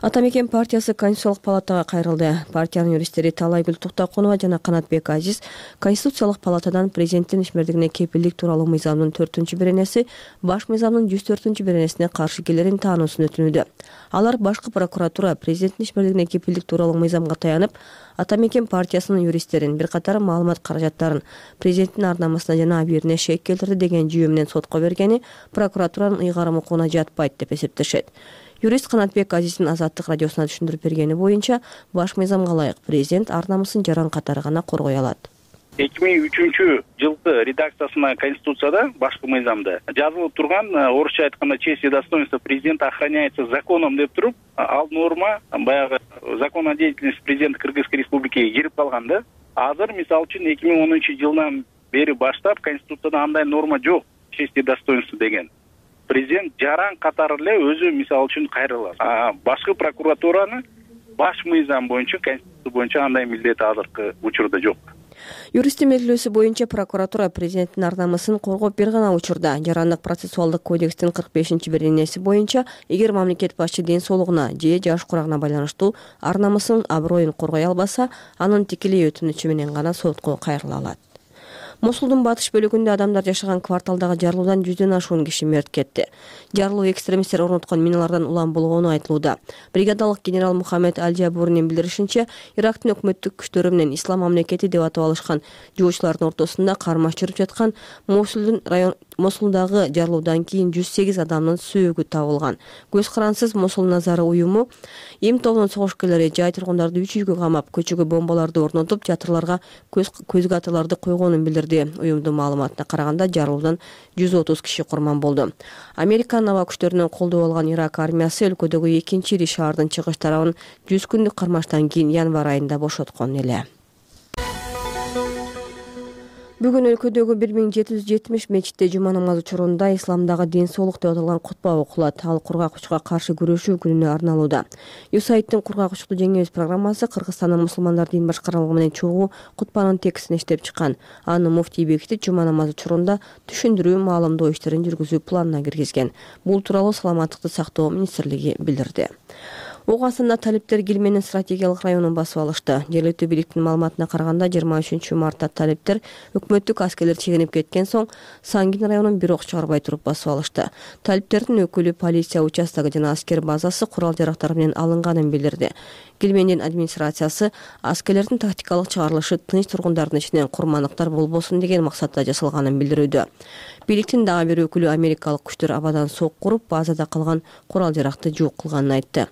Ата мекен партиясы Конституциялык палатага кайрылды. Партиянын юристтери Талай Гүл Туктакунова жана Канатбек Азиз Конституциялык палатадан президенттин ишмердигине кепилдик тууралуу мыйзамдын 4-беренеси баш мыйзамдын 104-беренесине каршы келерин таануусун өтүнүүдө. Алар башкы прокуратура президенттин ишмердигине кепилдик тууралуу мыйзамга таянып, Ата мекен партиясынын юристтерин бир катар маалымат каражаттарын президенттин арнамасына жана абийирине шек келтирди деген жүйө менен сотко бергени прокуратуранын ыйгарым укугуна жатпайт деп эсептешет. Юрист Канатбек Азиздин Азаттык радиосуна түшүндүрүп бергени боюнча, баш мыйзамга ылайык президент арнамысын жаран катары гана коргой алат. 2003-жылкы редакциясына Конституцияда башкы мыйзамда жазылып турган, орусча айтканда честь и достоинство президента охраняется законом деп туруп, ал норма баягы закон о деятельности президента Кыргызской республикиге кирип калган да. Азыр мисалы үчүн 2010-жылдан бери баштап Конституцияда андай норма жок, честь и достоинство деген. Президент жаран катары эле өзү мисалы үчүн кайрылат. Башкы прокуратураны баш мыйзам боюнча, Конституция боюнча андай милдет азыркы учурда жок. Юристтин белгилөөсү боюнча прокуратура президенттин арнамасын коргоп бир гана учурда Жарандык процессуалдык кодекстин 45-беренеси боюнча эгер мамлекет башчы ден соолугуна же жаш курагына байланыштуу арнамасын аброюн коргой албаса, анын тикелей өтүнүчү менен гана сотко кайрыла алат. Мосулдун батыш бөлүгүндө адамдар жашаган кварталдагы жарылуудан 100дөн ашуун киши мерт кетти. Жарылуу экстремисттер орноткон миналардан улам болгону айтылууда. Бригадалык генерал Мухаммед Аль-Жабуринин билдиришинче, Ирактын өкмөттүк күчтөрү менен Ислам мамлекети деп атап алышкан жуучулардын ортосунда кармаш жүрүп жаткан Мосулдагы жарылуудан кийин 108 адамдын сөөгү табылган. Көз карансыз Мосул Назары уюму эм тобунун согушкерлери жай тургундарды 3 үйгө камап, көчөгө бомбаларды орнотуп, жатырларга көзгө атыларды койгонун билдирди. Уюмдун маалыматына караганда жарылуудан 130 киши курман болду. Американын аба күчтөрүнөн колдоо алган Ирак армиясы өлкөдөгү экинчи ири шаардын чыгыш тарабын 100 күндүк кармаштан кийин январь айында бошоткон эле. Бүгүн өлкөдөгү 1770 мечитте жума намазы учурунда исламдагы ден соолук деп аталган кутба окулат. Ал кургак учка каршы күрөшүү күнүнө арналууда. USAIDтин кургак учту жеңебиз программасы Кыргызстандын мусулмандар дин башкармалыгы менен чогуу кутбанын текстин иштеп чыккан. Аны муфтий бекитип, жума намазы учурунда түшүндүрүү, маалымдоо иштерин жүргүзүү планына киргизген. Бул тууралуу Саламаттыкты сактоо министрлиги билдирди. Ок астында талиптер Килменин стратегиялык районун басып алышты. Жергиликтүү бийликтин маалыматына караганда 23 мартта талиптер өкмөттүк аскерлер чегинип кеткен соң Сангин районун бир ок чыгарбай туруп басып алышты. Талиптердин өкүлү полиция участогу жана аскер базасы курал-жарактар менен алынганын билдирди. Килмендин администрациясы аскерлердин тактикалык чыгарылышы тынч тургундардын ичинен курмандыктар болбосун деген максатта жасалганын билдирүүдө. Бийликтин дагы бир өкүлү америкалык күчтөр абадан сок куруп, базада калган курал-жаракты жок кылганын айтты.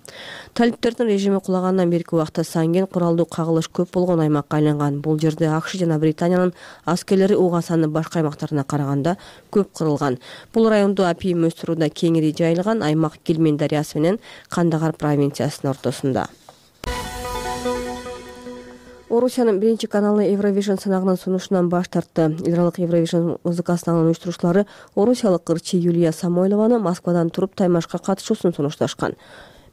Талиптердин режими кулагандан берки убакта Сангин куралдуу кагылыш көп болгон аймакка айланган. Бул жерде АКШ жана Британиянын аскерлери УГАСанын башка аймактарына караганда көп кырылган. Бул райондо апийим өстүрүүдө кеңири жайылган. Аймак Килмен дарыясы менен Кандагар провинциясынын ортосунда. Орусиянын биринчи каналы Евровижн сынагынын сунушунан баш тартты. Эл аралык Евровижн музыка сынагынын уюштуруучулары орусиялык ырчы Юлия Самойлованы Москвадан туруп таймашка катышуусун сунушташкан.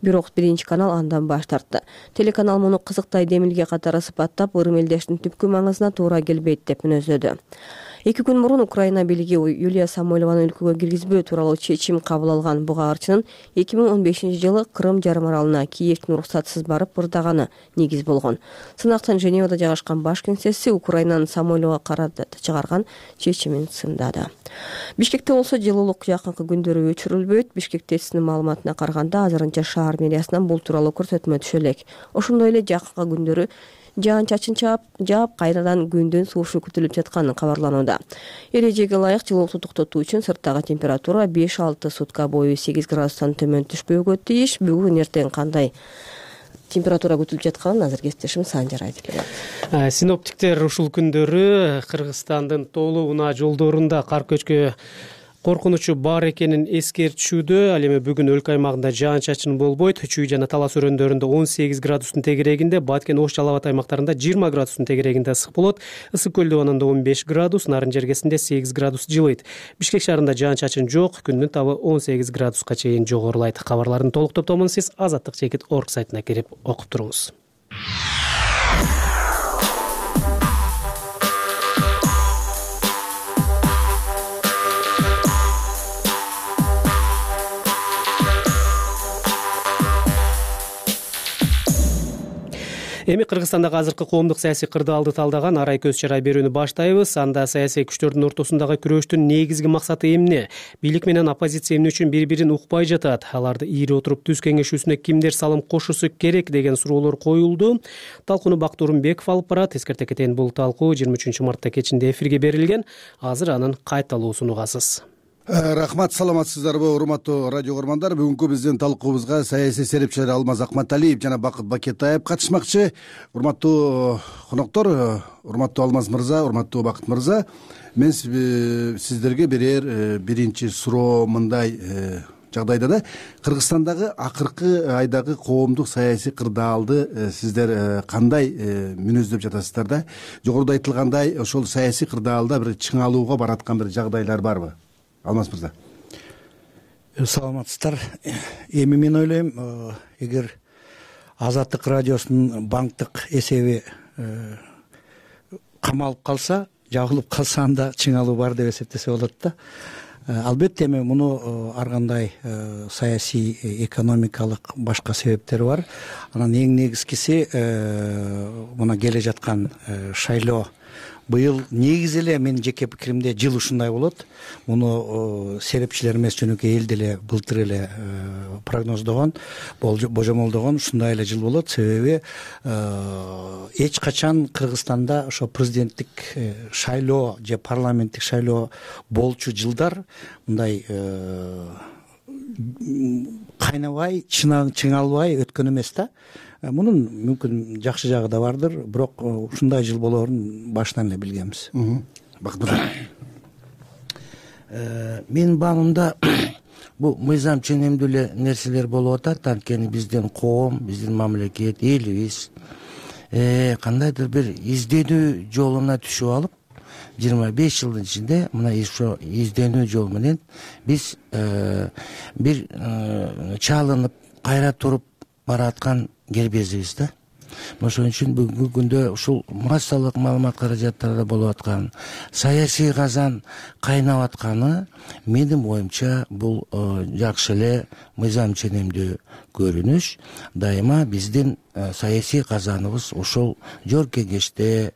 Бирок биринчи канал андан баш тартты. Телеканал муну кызыктай демилге катары сыпаттап, ырым элдештин түпкү маңызына туура келбейт деп мүнөздөдү. 2 күн мурун Украина бийлиги Юлия Самойлованы өлкөгө киргизбөө тууралуу чечим кабыл алган. Буга арчынын 2015-жылы Крым жарым аралына Киевдин уруксатсыз барып ырдаганы негиз болгон. Сынактын Женевада жайгашкан баш кеңсеси Украинанын Самойловго карата чыгарган чечимин сындады. Бишкекте болсо жылуулук жакынкы күндөрү өчүрүлбөйт. Бишкек ТССнин маалыматына караганда азырынча шаар мэриясынан бул тууралуу көрсөтмө түшө элек. Ошондой эле жакынкы күндөрү жаан-чачын жаап кайрадан күндүн суушу күтүлүп жатканы кабарланууда. Эрежеге ылайык жылуулукту токтотуу үчүн сырттагы температура 5-6 сутка бою 8 градустан төмөн түшпөөгө тийиш. Бүгүн эртең кандай температура күтүлүп жатканын азыр кесиптешим Санжар айтып берет. Синоптиктер ушул күндөрү Кыргызстандын тоолуу унаа жолдорунда кар көчкү коркунучу бар экенин эскертишүүдө. Ал эми бүгүн өлкө аймагында жаан-чачын болбойт. Чүй жана Талас өрөөндөрүндө 18 градустун тегерегинде, Баткен, Ош, Жалал Абад аймактарында 20 градустун тегерегинде ысык болот. Ысык көл дөбөнүндө 15 градус, Нарын жергесинде 8 градус жылыйт. Бишкек шаарында жаан-чачын жок, күндүн табы 18 градуска чейин жогорулайт. Кабарлардын толук топтомун сиз azattik.org сайтына кирип окуп туруңуз. Эми Кыргызстандагы азыркы коомдук саясий кырдаалды талдаган арай көз чарай берүүнү баштайбыз. Анда саясий күчтөрдүн ортосундагы күрөштүн негизги максаты эмне? Бийлик менен оппозиция эмне үчүн бири-бирин укпай жатат? Аларды ийри отуруп түз кеңешүүсүнө кимдер салым кошусу керек деген суроолор коюлду. Талкууну Бакыт Орунбеков алып барат. Эскерте кетейин, бул талкуу 23 мартта кечинде эфирге берилген. Азыр анын кайталуусун угасыз. Рахмат, саламатсыздарбы урматтуу радио көрөрмандар. Бүгүнкү биздин талкуубузга саясий серепчилер Алмаз Акматалиев жана Бакыт Бакетаев катышмакчы. Урматтуу коноктор, урматтуу Алмаз мырза, урматтуу Бакыт мырза, мен сиздерге берер биринчи суроо мындай: жагдайда да Кыргызстандагы акыркы айдагы коомдук саясий кырдаалды сиздер кандай мүнөздөп жатасыздар да? Жогоруда айтылгандай, ошол саясий кырдаалда бир чыңалууга бараткан бир жагдайлар барбы? Алмаз мырза. Саламатсыздар. Эми мен ойлойм, эгер Азаттык радиосунун банктык эсеби камалып калса, жабылып калса, анда чыңалуу бар деп эсептесе болот да. Албетте эми муну ар кандай саясий, экономикалык башка себептери бар. Анан эң негизгиси мына келе жаткан шайлоо. Быйыл негизи эле менин жеке пикиримде жыл ушундай болот. Муну серепчилер эмес, жөнөкөй эл деле былтыр эле прогноздогон, божомолдогон ушундай эле жыл болот. Себеби эч качан Кыргызстанда ошо президенттик шайлоо же парламенттик шайлоо болчу жылдар мындай кайнабай, чыңалбай өткөн эмес да. Мунун мүмкүн жакшы жагы да бардыр, бирок ушундай жыл болоорун башынан эле билгенбиз. Менин баамымда бул мыйзам ченемдүү эле нерселер болуп атат. Анткени биздин коом, биздин мамлекет, элибиз кандайдыр бир изденүү жолуна түшүп алып, 25 жылдын ичинде мына ошо изденүү жол менен биз бир чалынып кайра туруп бараткан кербезибиз да. Ошон үчүн бүгүнкү күндө ушул массалык маалымат каражаттарда болуп аткан саясий казан кайнап атканы менин оюмча бул жакшы эле мыйзам ченемдүү көрүнүш. Дайыма биздин саясий казаныбыз ошол жор кеңеште,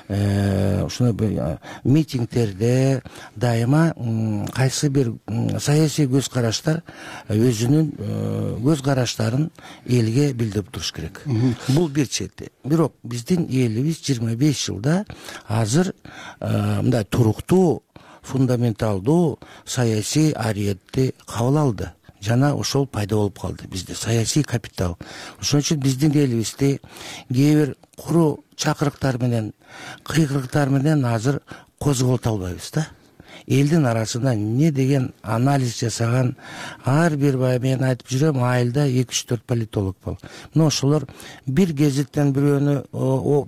ушундай митингдерде дайыма кайсы бир саясий көз караштар өзүнүн көз караштарын элге билдирип туруш керек. Бул бир чети. Бирок биздин элибиз 25 жылда азыр мындай туруктуу, фундаменталдуу саясий ариетти кабыл алды. Жана ошол пайда болуп калды бизде саясий капитал. Ошон үчүн биздин элибизди кээ бир куру чакырыктар менен, кыйкырыктар менен азыр козголто албайбыз да. Элдин арасында эмне деген анализ жасаган ар бир мен айтып жүрөм, айылда 2-3-4 политолог бол. Мына ошолор бир гезиттен бирөөнү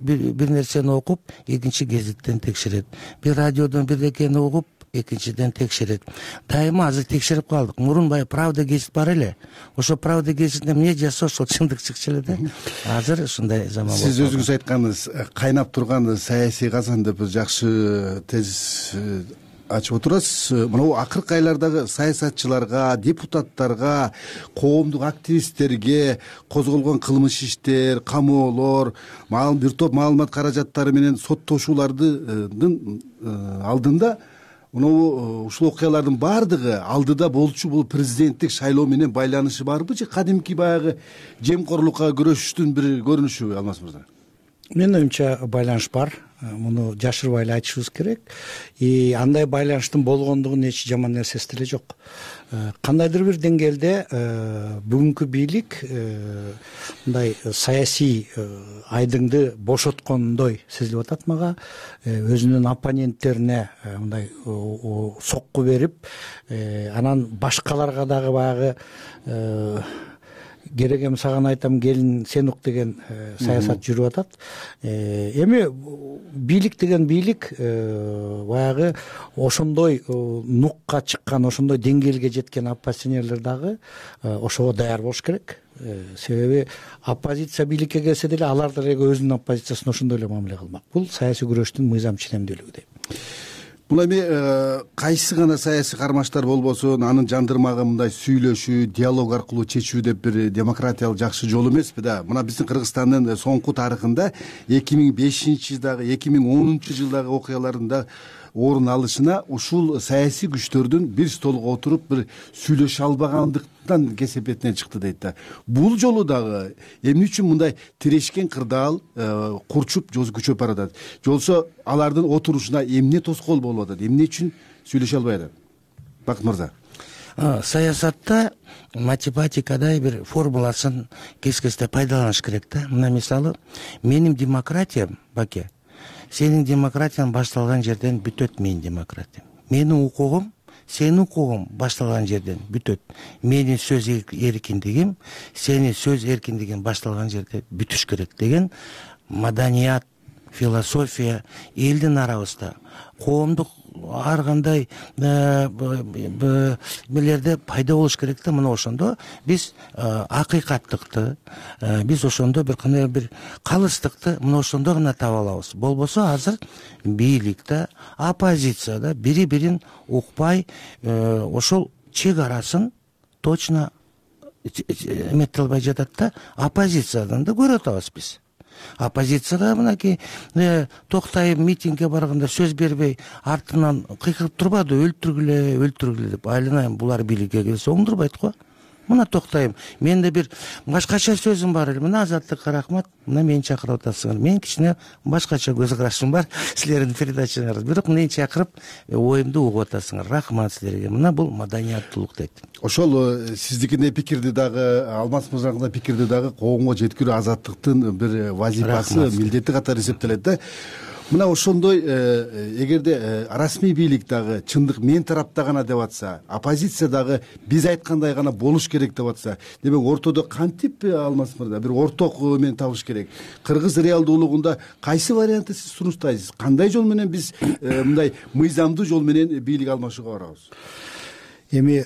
бир нерсени окуп, экинчи гезиттен текшерет. Бир радиодон бирдекени угуп, экинчиден текшерет. Дайыма азыр текшерип калдык. Мурун баягы Правда гезит бар эле. Ошо Правда гезитинде эмне жазса ошол чындык чыкчу эле да. Азыр ушундай заман болду. Сиз өзүңүз айтканыңыз кайнап турган саясий казан деп жакшы тезис ачып отурасыз. Мына акыркы айлардагы саясатчыларга, депутаттарга, коомдук активисттерге козголгон кылмыш иштер, камоолор, бир топ маалымат каражаттары менен соттошуулардын алдында ушул окуялардын баардыгы алдыда болчу бул президенттик шайлоо менен байланышы барбы же кадимки баягы жемкорлукка күрөшүштүн бир көрүнүшүбү, Алмаз мырза? Менин оюмча байланыш бар. Муну жашырбай эле айтышыбыз керек. Андай байланыштын болгондугунун эч жаман нерсеси деле жок. Кандайдыр бир деңгээлде бүгүнкү бийлик мындай саясий айдыңды бошоткондой сезилип атат мага. Өзүнүн оппоненттерине мындай сокку берип, анан башкаларга дагы баягы керек эми саган айтам келин сен ук деген саясат жүрүп атат. Эми бийлик деген бийлик баягы ошондой нукка чыккан, ошондой деңгээлге жеткен оппозиционерлер дагы ошого даяр болуш керек. Себеби оппозиция бийликке келсе деле алар деле өзүнүн оппозициясына ошондой эле мамиле кылмак. Бул саясий күрөштүн мыйзам ченемдүүлүгү дейм. Бул эми кайсы гана саясий кармаштар болбосун, анын жандырмагы мындай сүйлөшүү, диалог аркылуу чечүү деп бир демократиялык жакшы жол эмеспи да. Мына биздин Кыргызстандын соңку тарыхында 2005-жылдагы, 2010-жылдагы окуяларында орун алышына ушул саясий күчтөрдүн бир столго отуруп бир сүйлөшө албагандыктан кесепетинен чыкты дейт да. Бул жолу дагы эмне үчүн мындай тирешкен кырдаал курчуп көчөп баратат? Жолсо алардын отурушуна эмне тоскоол болуп атат? Эмне үчүн сүйлөшө албай атат? Бакыт мырза. Саясатта математикадай бир формуласын кескесте пайдаланыш керек да. Мына мисалы, менин демократиям, Баке, сенин демократияң башталган жерден бүтөт менин демократиям. Менин укугум, сенин укугуң башталган жерден бүтөт. Менин сөз эркиндигим, сенин сөз эркиндигиң башталган жерде бүтүш керек деген маданият, философия элдин арабызда, коомдук ар кандай мелерде пайда болуш керек да. Мына ошондо биз акыйкаттыкты, биз ошондо бир кандай бир калыстыкты мына ошондо гана таба алабыз. Болбосо азыр бийликте, оппозицияда бири-бирин укпай, ошол чек арасын точно эмете албай жатат да. Оппозициядан да көрүп атабыз биз. Оппозицияда мынакей Токтаев митингге барганда сөз бербей артынан кыйкырып турбады, өлтүргүлө деп. Айланайм, булар бийликке келсе оңдурбайт го. Мына Токтаев, менде бир башкача сөзүм бар эле. Мына Азаттыкка рахмат, мына мени чакырып атасыңар. Мен кичине башкача көз карашым бар силердин передачаңарда. Бирок мени чакырып оюмду угуп атасыңар. Рахмат силерге. Мына бул маданияттуулук дейт. Ошол сиздикине пикирди дагы, Алмаз мырзанын пикирди дагы коомго жеткирүү Азаттыктын бир вазифасы, милдети катары эсептелет да. мына ошондой эгерде расмий бийлик дагы чындык мен тарапта гана деп атса, оппозиция дагы биз айткандай гана болуш керек деп атса, демек ортодо кантип Алмаз мырза бир орток эмен табыш керек? Кыргыз реалдуулугунда кайсы вариантты сиз сунуштайсыз? Кандай жол менен биз мындай мыйзамдуу жол менен бийлик алмашууга барабыз? Эми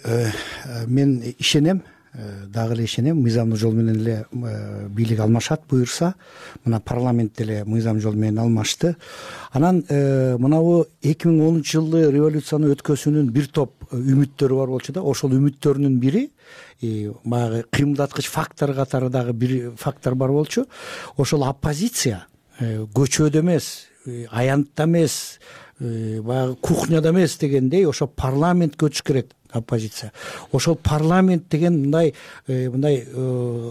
мен ишенем, дагы эле ишенем, мыйзамдуу жол менен эле бийлик алмашат буюрса. Мына парламент деле мыйзам жол менен алмашты. Анан мынабу 2010-жылы революцияны өткөзүүнүн бир топ үмүттөрү бар болчу да, ошол үмүттөрүнүн бири баягы кыймылдаткыч фактор катары дагы бир фактор бар болчу. Ошол оппозиция көчөдө эмес, аянтта эмес, баягы кухняда эмес дегендей, ошо парламентке өтүш керек оппозиция. Ошол парламент деген мындай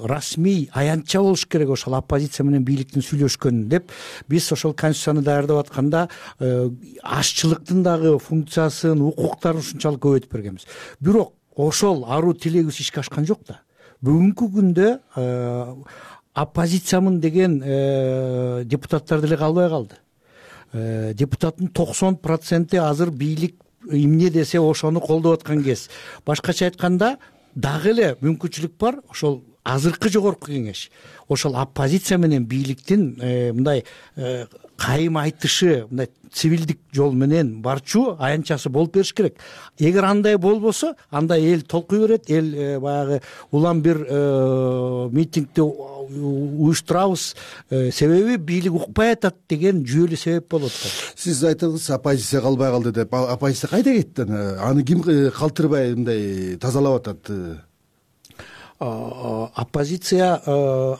расмий аянтча болуш керек ошол оппозиция менен бийликтин сүйлөшкөнүн деп биз ошол конституцияны даярдап атканда ашчылыктын дагы функциясын, укуктарын ушунчалык көбөйтүп бергенбиз. Бирок ошол аруу тилегибиз ишке ашкан жок да. Бүгүнкү күндө оппозициямын деген депутаттар деле калбай калды. Депутаттын 90% азыр бийлик эмне десе ошону колдоп аткан кез. Башкача айтканда дагы эле мүмкүнчүлүк бар, ошол азыркы жогорку кеңеш ошол оппозиция менен бийликтин мындай кайым айтышы, мындай цивилдик жол менен барчу аянтчасы болуп бериш керек. Эгер андай болбосо, анда эл толкуй берет, эл баягы улам бир митингди уюштурабыз, себеби бийлик укпай атат деген жүйөлүү себеп болот да. Сиз айттыңыз, оппозиция калбай калды деп. Оппозиция кайда кетти? Аны ким калтырбай мындай тазалап атат? Оппозиция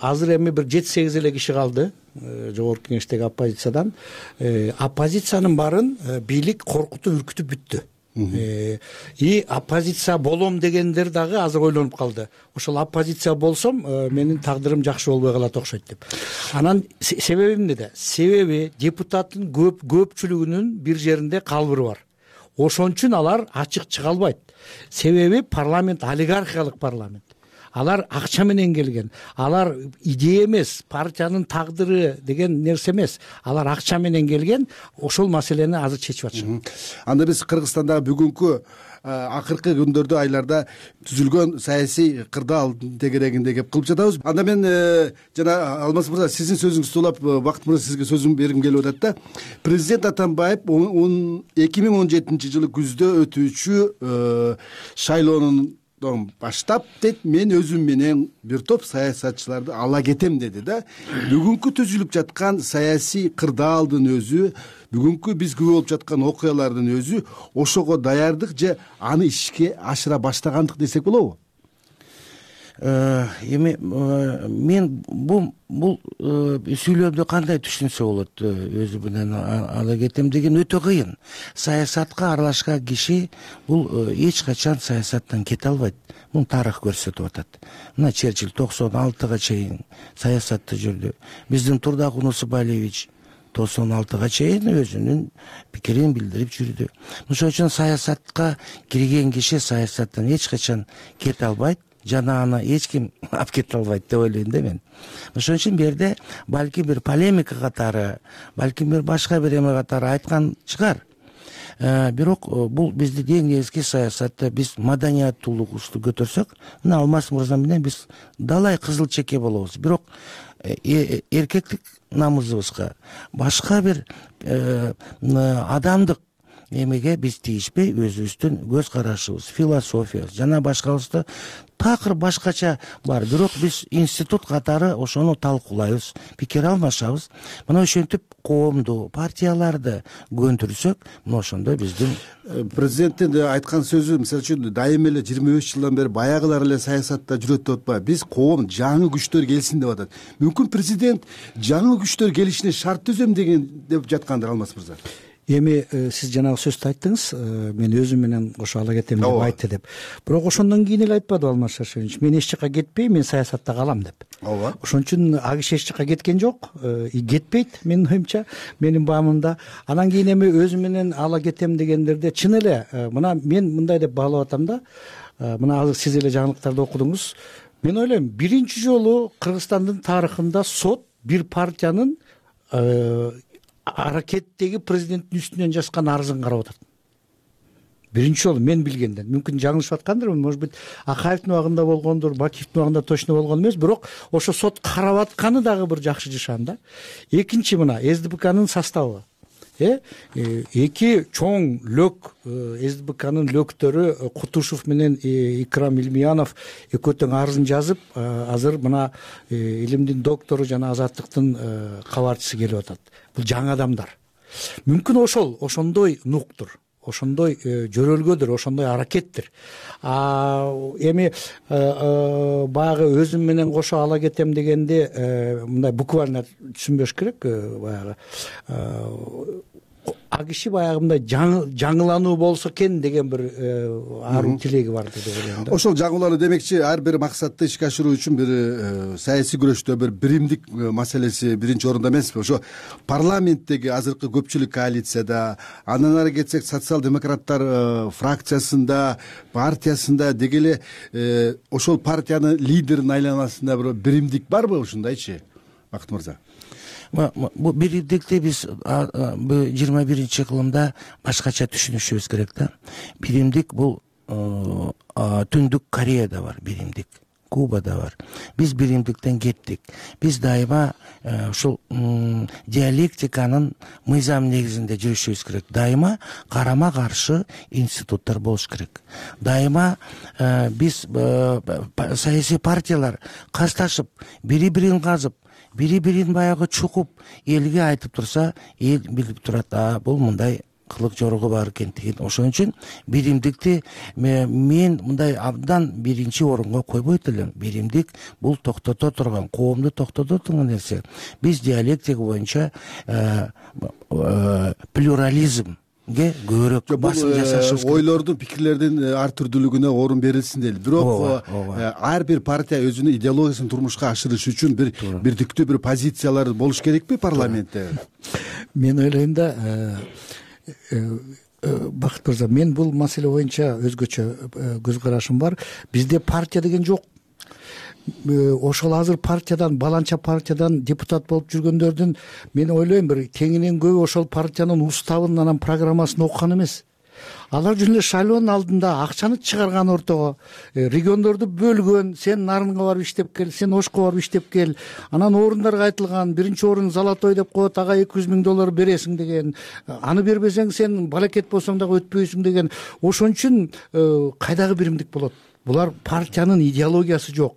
азыр эми бир 7-8 эле киши калды жогорку кеңештеги оппозициядан. Оппозициянын баарын бийлик коркутуп үркүтүп бүттү. И оппозиция болом дегендер дагы азыр ойлонуп калды. Ошол оппозиция болсом, менин тагдырым жакшы болбой калат окшойт деп. Анан себеби эмнеде? Себеби депутаттын көпчүлүгүнүн бир жеринде калбыры бар. Ошон үчүн алар ачык чыга албайт. Себеби парламент олигархиялык парламент. Алар акча менен келген. Алар идея эмес, партиянын тагдыры деген нерсе эмес. Алар акча менен келген, ошол маселени азыр чечип атышат. Анда биз Кыргызстандагы бүгүнкү акыркы күндөрдө, айларда түзүлгөн саясий кырдаал тегерегинде кеп кылып жатабыз. Анда мен жана Алмаз мырза, сиздин сөзүңүздү улап, Бакыт мырза, сизге сөзүм бергим келип атат да. Президент Атамбаев 2017 жылы күздө өтүүчү шайлоонун баштап дейт, мен өзүм менен бир топ саясатчыларды ала кетем деди да. Бүгүнкү түзүлүп жаткан саясий кырдаалдын өзү, бүгүнкү биз күбө болуп жаткан окуялардын өзү ошого даярдык же аны ишке ашыра баштагандык десек болобу? Эми мен бул сүйлөмдү кандай түшүнсө болот? Өзү менен ала кетем деген өтө кыйын. Саясатка аралашкан киши бул эч качан саясаттан кете албайт. Муну тарых көрсөтүп атат. Мына Черчилль 96-га чейин саясатта жүрдү. Биздин Турдак Унусубалиевич 96-га чейин өзүнүн пикирин билдирип жүрдү. Ошон үчүн саясатка кирген киши саясаттан эч качан кете албайт. Жана аны эч ким алып кете албайт деп ойлойм да мен. Ошон үчүн бул жерде балки бир полемика катары, балки бир башка бир эме катары айткан чыгар. Бирок бул биздин эң негизги саясатта биз маданияттуулугубузду көтөрсөк, мына Алмаз мырза менен биз далай кызыл чеке болобуз. Бирок эркектик намызыбызга, башка бир адамдык эмеге биз тийишпей, өзүбүздүн көз карашыбыз, философиябыз жана башкабызды такыр башкача бар. Бирок биз институт катары ошону талкуулайбыз, пикир алмашабыз. Мына ошентип коомду, партияларды көндүрсөк, мына ошондо биздин президенттин айткан сөзү, мисалы үчүн, дайыма эле 25 жылдан бери баягылар эле саясатта жүрөт деп атпайбы. Биз коом жаңы күчтөр келсин деп атат. Мүмкүн президент жаңы күчтөр келишине шарт түзөм деген деп жаткандыр, Алмаз мырза. Эми сиз жанагы сөздү айттыңыз, мен өзүм менен кошо ала кетем деп айтты деп. Бирок ошондон кийин эле айтпады Алмаз Шаршевич, мен эч жака кетпейм, мен саясатта калам деп. Ооба. Ошон үчүн ал киши эч жака кеткен жок, кетпейт менин оюмча, менин баамымда. Анан кийин эми өзүм менен ала кетем дегендерде чын эле мына мен мындай деп баалап атам да. Мына азыр сиз эле жаңылыктарды окудуңуз. Мен ойлойм, биринчи жолу Кыргызстандын тарыхында сот бир партиянын аракеттеги президенттин үстүнөн жазган арызын карап атат. Биринчи жолу мен билгенден, мүмкүн жаңылышып аткандырмын, может быть Акаевдин убагында болгондур, Бакиевдин убагында точно болгон эмес, бирок ошо сот карап атканы дагы бир жакшы жашан да. Экинчи мына СДПКнын составы. Эки чоң лөк СДПКнын лөктөрү Кутушев менен Икрам Илмиянов экөө тең арызын жазып, азыр мына илимдин доктору жана Азаттыктын кабарчысы келип атат. Бул жаңы адамдар. Мүмкүн ошондой нуктур, ошондой жөрөлгөдүр, ошондой аракеттир. Эми баягы өзүм менен кошо ала кетем дегенде мындай буквально түшүнбөш керек. Баягы а киши баягы мындай жаңылануу болсо экен деген бир аруу тилеги бар деп ойлойм да. Ошол жаңылануу демекчи ар бир максатты ишке ашыруу үчүн бир саясий күрөштө бир биримдик маселеси биринчи орунда эмеспи? Ошо парламенттеги азыркы көпчүлүк коалицияда, андан ары кетсек социал-демократтар фракциясында, партиясында деги эле ошол партиянын лидеринин айланасында бир биримдик барбы ушундайчы, Бакыт мырза? Бул биримдикти биз 21-кылымда башкача түшүнүшүбүз керек да. Биримдик бул Түндүк Кореяда бар биримдик, Кубада бар. Биз биримдиктен кеттик. Биз дайыма ушул диалектиканын мыйзам негизинде жүрүшүбүз керек. Дайыма карама каршы институттар болуш керек. Дайыма биз саясий партиялар касташып, бири-бирин казып, бири-бирин баягы чукуп элге айтып турса, эл билип турат, бул мындай кылык жорого бар экен деген. Ошон үчүн биримдикти мен мындай абдан биринчи орунга койбойт элем. Биримдик бул токтото турган, коомду токтото турган нерсе. Биз диалектика боюнча плюрализм көбүрөөк басым жасашыбыз керек. Ойлордун, пикирлердин ар түрдүүлүгүнө орун берилсин дейли. Бирок ар бир партия өзүнүн идеологиясын турмушка ашырыш үчүн бирдиктүү бир позициялар болуш керекпи парламентте? Мен ойлойм да, Бакыт мырза, мен бул маселе боюнча өзгөчө көз карашым бар. Бизде партия деген жок. Ошол азыр партиядан, баланча партиядан депутат болуп жүргөндөрдүн мен ойлойм бир кеңинен көбү ошол партиянын уставын, анан программасын окуган эмес. Алар жөн эле шайлоонун алдында акчаны чыгарган ортого, региондорду бөлгөн, сен Нарынга барып иштеп кел, сен Ошко барып иштеп кел, анан орундарга айтылган, биринчи орун Золотой деп коет, ага $200,000 бересиң деген, аны бербесең сен балакет болсоң дагы өтпөйсүң деген. Ошон үчүн кайдагы биримдик болот? Булар партиянын идеологиясы жок.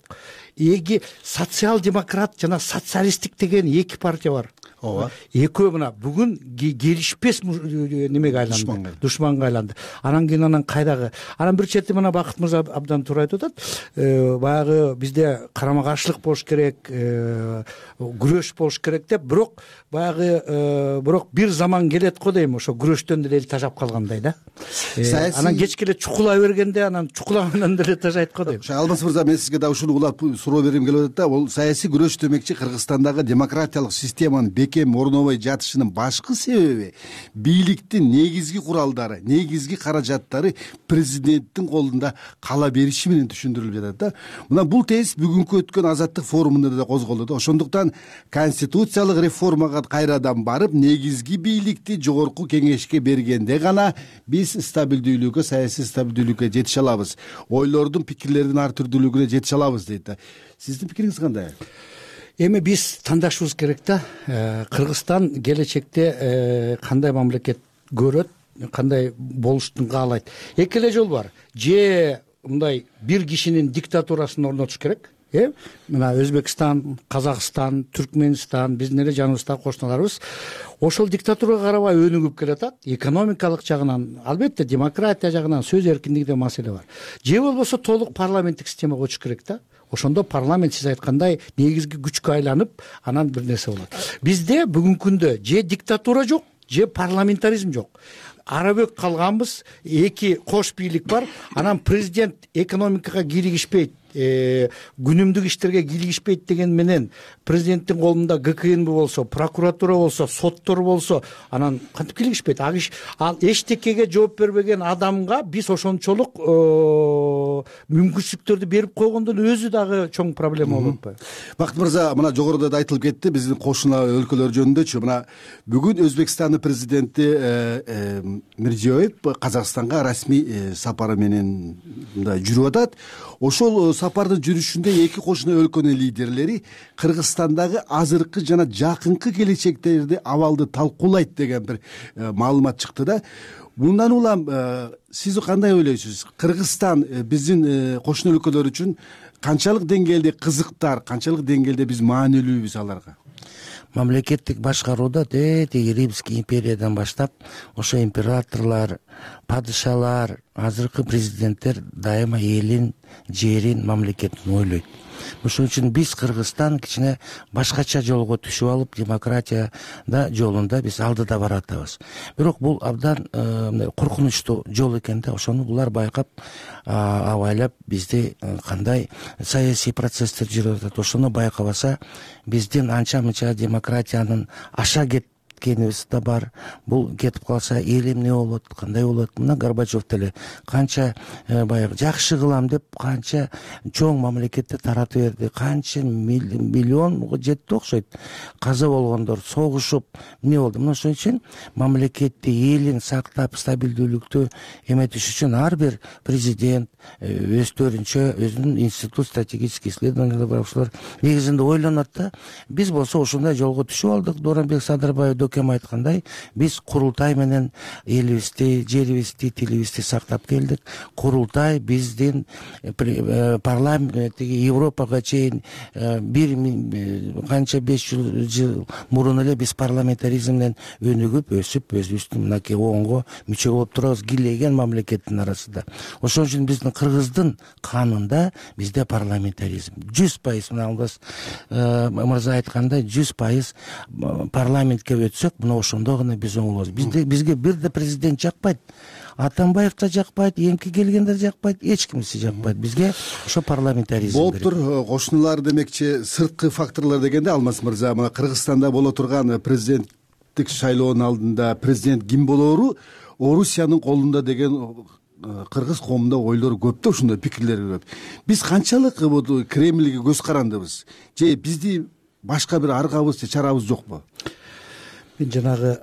Эги социал-демократ жана социалисттик деген эки партия бар. Ооба. Экөө мына бүгүн келишпес немеге айланды, душманга айланды. Анан кийин анан кайдагы? Анан бир чети мына Бакыт мырза абдан туура айтып атат. Баягы бизде карама каршылык болуш керек, күрөш болуш керек деп, бирок бир заман келет го дейм, ошо күрөштөн деле эл тажап калгандай да. Анан кечке эле чукула бергенде анан чукулагандан деле тажайт го дейм. Алмаз мырза, мен сизге да ушуну улап суроо бергим келип атат да. Бул саясий күрөш демекчи Кыргызстандагы демократиялык системанын бекем орнобой жатышынын башкы себеби бийликтин негизги куралдары, негизги каражаттары президенттин колунда кала бериши менен түшүндүрүлүп жатат да. Мына бул тез бүгүнкү өткөн Азаттык форумунда да козголду да. Ошондуктан конституциялык реформага кайрадан барып, негизги бийликти жогорку кеңешке бергенде гана биз стабилдүүлүккө, саясий стабилдүүлүккө жетише алабыз. Ойлордун, пикирлердин ар түрдүүлүгүнө жетише алабыз дейт да. Сиздин пикириңиз кандай? Эми биз тандашыбыз керек да. Кыргызстан келечекте кандай мамлекет көрөт, кандай болуштун каалайт. Эки эле жол бар. Же мындай бир кишинин диктатурасын орнотуш керек. Мына Өзбекстан, Казакстан, Түркмөнстан, биздин эле жаныбыздагы кошуналарыбыз ошол диктатурага карабай өнүгүп келатат. Экономикалык жагынан, албетте демократия жагынан, сөз эркиндигинде маселе бар. Же болбосо толук парламенттик системага көчүш керек да. Ошондо парламент сиз айткандай негизги күчкө айланып, анан бир нерсе болот. Бизде бүгүнкү күндө же диктатура жок, же парламентаризм жок. Арабөк калганбыз, эки кош бийлик бар. Анан президент экономикага киригишпейт, күнүмдүк иштерге кийлигишпейт деген менен президенттин колунда ГКНБ болсо, прокуратура болсо, соттор болсо, анан кантип кийлигишпейт? Ал эчтекеге жооп бербеген адамга биз ошончолук мүмкүнчүлүктөрдү берип койгондун өзү дагы чоң проблема болуп атпайбы? Бакыт мырза, мына жогоруда да айтылып кетти биздин кошуна өлкөлөр жөнүндөчү. Мына бүгүн Өзбекстандын президенти Мирзиёев Казакстанга расмий сапары менен мындай жүрүп атат. Ошол сапардын жүрүшүндө эки кошуна өлкөнүн лидерлери Кыргызстандагы азыркы жана жакынкы келечектеги абалды талкуулайт деген бир маалымат чыкты да. Мындан улам сиз кандай ойлойсуз? Кыргызстан биздин кошуна өлкөлөр үчүн канчалык деңгээлде кызыктар, канчалык деңгээлде биз маанилүүбүз аларга? Мамлекеттик башкарууда тетиги Римский империядан баштап ошо императорлор, падышалар, азыркы президенттер дайыма элин, жерин, мамлекетин ойлойт. Ошон үчүн биз Кыргызстан кичине башкача жолго түшүп алып, демократияда жолунда биз алдыда баратабыз. Бирок бул абдан коркунучтуу жол экен да. Ошону булар байкап, абайлап бизди кандай саясий процесстер жүрүп атат, ошону байкабаса, биздин анча-мынча демократиянын аша кеткенибиз да бар. Бул кетип калса эл эмне болот, кандай болот? Мына Горбачев деле канча баягы жакшы кылам деп канча чоң мамлекетти таратып берди, канча миллион жетти окшойт. Каза болгондор, согушуп эмне болду? Мына ошон үчүн мамлекетти, элин сактап, стабилдүүлүктү эметиш үчүн ар бир президент өздөрүнчө өзүнүн институт стратегических исследований бар, ошолор негизинде ойлонот да. Биз болсо ушундай жолго түшүп алдык. Дооронбек Садырбаев дөкем айткандай, биз курултай менен элибизди, жерибизди, тилибизди сактап келдик. Курултай биздин парламент Европага чейин бир канча 500 жыл мурун эле биз парламентаризмден өнүгүп, өсүп, өзүбүздүн мынакей оңго мүчө болуп турабыз, кийлеген мамлекеттин арасында. Ошон үчүн биздин Кыргыздын канында бизде парламентаризм 100%. Мына Алмаз мырза айткандай 100% парламентке өтсөк, мына ошондо гана биз оңолобуз. Бизге бир да президент жакпайт, Атамбаев да жакпайт, эмки келгендер жакпайт, эч кимиси жакпайт. Бизге ошо парламентаризм болуптур. Кошуналар демекчи сырткы факторлор дегенде, Алмаз мырза, мына Кыргызстанда боло турган президенттик шайлоонун алдында президент ким болоору Орусиянын колунда деген кыргыз коомунда ойлор көп да, ушундай пикирлер көп. Биз канчалык Кремльге көз карандыбыз же бизди башка бир аргабыз же чарабыз жокпу? Мен жанагы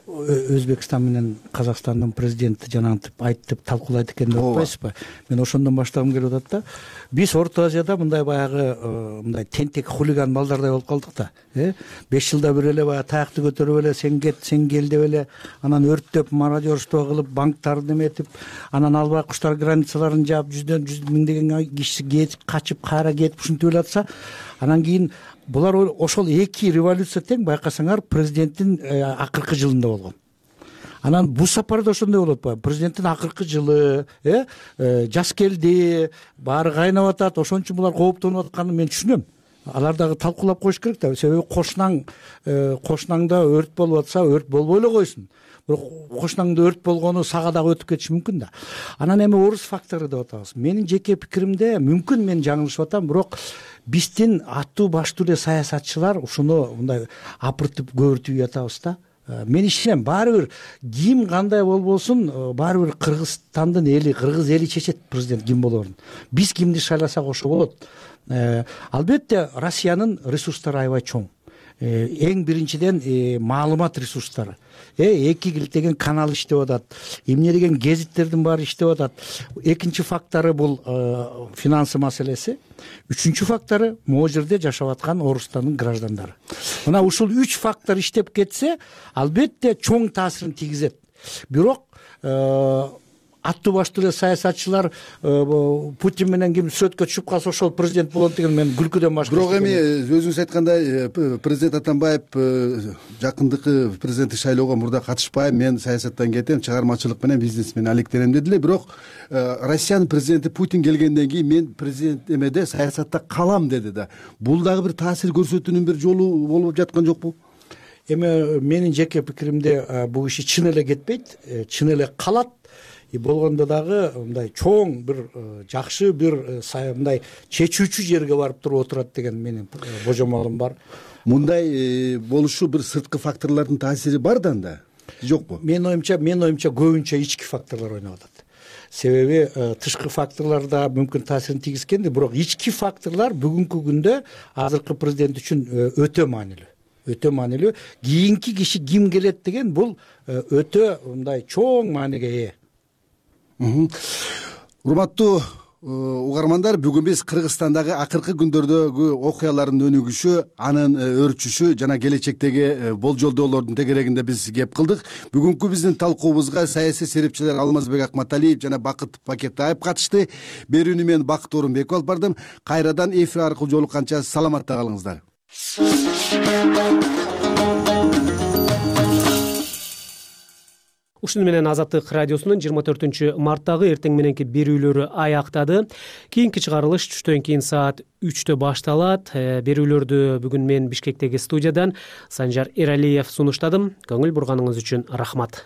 Өзбекстан менен Казакстандын президенти жанагынтип айтып талкуулайт экен деп атпайсызбы? Мен ошондон баштагым келип атат да. Биз Орто Азияда мындай баягы мындай тентек хулиган балдардай болуп калдык да. 5 жылда бир эле баягы таякты көтөрүп эле сен кет, сен кел деп эле, анан өрттөп, мародерство кылып, банктарды эметип, анан албай куштар границаларын жаап, жүз миңдеген киши кетип, качып, кайра кетип ушинтип эле атса, анан кийин булар ошол эки революция тең байкасаңар президенттин акыркы жылында болгон. Анан бул сапарда ошондой болуп атпайбы? Президенттин акыркы жылы, жаз келди, баары кайнап атат, ошон үчүн булар кооптонуп атканын мен түшүнөм. Алар дагы талкуулап коюш керек да. Себеби кошунаңда өрт болуп атса, өрт болбой эле койсун. Бирок кошунаңда өрт болгону сага дагы өтүп кетиши мүмкүн да. Анан эми орус фактору деп атабыз. Менин жеке пикиримде, мүмкүн мен жаңылышып атам, бирок биздин аттуу баштуу эле саясатчылар ушуну мындай апыртып көбүртүп жатабыз да. Мен ишенем, баары бир ким кандай болбосун, баары бир Кыргызстандын эли, кыргыз эли чечет президент ким болоорун. Биз кимди шайласак ошо болот. Албетте Россиянын ресурстары аябай чоң. Эң биринчиден маалымат ресурстары. Эки деген канал иштеп атат. Эмне деген гезиттердин баары иштеп атат. Экинчи фактору бул финансы маселеси. Үчүнчү фактору могу жерде жашап аткан орустардын граждандары. Мына ушул 3 фактор иштеп кетсе, албетте чоң таасирин тийгизет. Бирок аттуу баштуу эле саясатчылар Путин менен ким сөткө түшүп калса ошол президент болот деген мен күлкүдөн башка. Бирок эми өзүңүз айткандай президент Атамбаев жакындыкы президенттик шайлоого мурда катышпайм, мен саясаттан кетем, чыгармачылык менен бизнес менен алектенем деди эле. Бирок Россиянын президенти Путин келгенден кийин мен президент эмеде саясатта калам деди да. Бул дагы бир таасир көрсөтүүнүн бир жолу болуп жаткан жокпу? Эми менин жеке пикиримде бул иши чын эле кетпейт, чын эле калат. болгондо дагы мындай чоң бир жакшы бир мындай чечүүчү жерге барып туруп отурат деген менин божомолум бар. Мындай болушу бир сырткы факторлордун таасири бар да анда, жокпу? Менин оюмча көбүнчө ички факторлор ойноп атат. Себеби тышкы факторлор да мүмкүн таасирин тийгизгенди, бирок ички факторлор бүгүнкү күндө азыркы президент үчүн өтө маанилүү. Кийинки киши ким келет деген бул өтө мындай чоң мааниге ээ. Урматтуу угармандар, бүгүн биз Кыргызстандагы акыркы күндөрдөгү окуялардын өнүгүшү, анын өрчүшү жана келечектеги болжолдоолордун тегерегинде биз кеп кылдык. Бүгүнкү биздин талкуубузга саясий серепчилер Алмазбек Акматалиев жана Бакыт Бакетаев катышты. Берүүнү мен Бакыт Орунбеков алып бардым. Кайрадан эфир аркылуу жолукканча саламатта калыңыздар. Ушуну менен Азаттык радиосунун 24-марттагы эртең мененки берүүлөрү аяктады. Кийинки чыгарылыш түштөн кийин саат 3-тө башталат. Берүүлөрдү бүгүн мен Бишкектеги студиядан Санжар Эралиев сунуштадым. Көңүл бурганыңыз үчүн рахмат.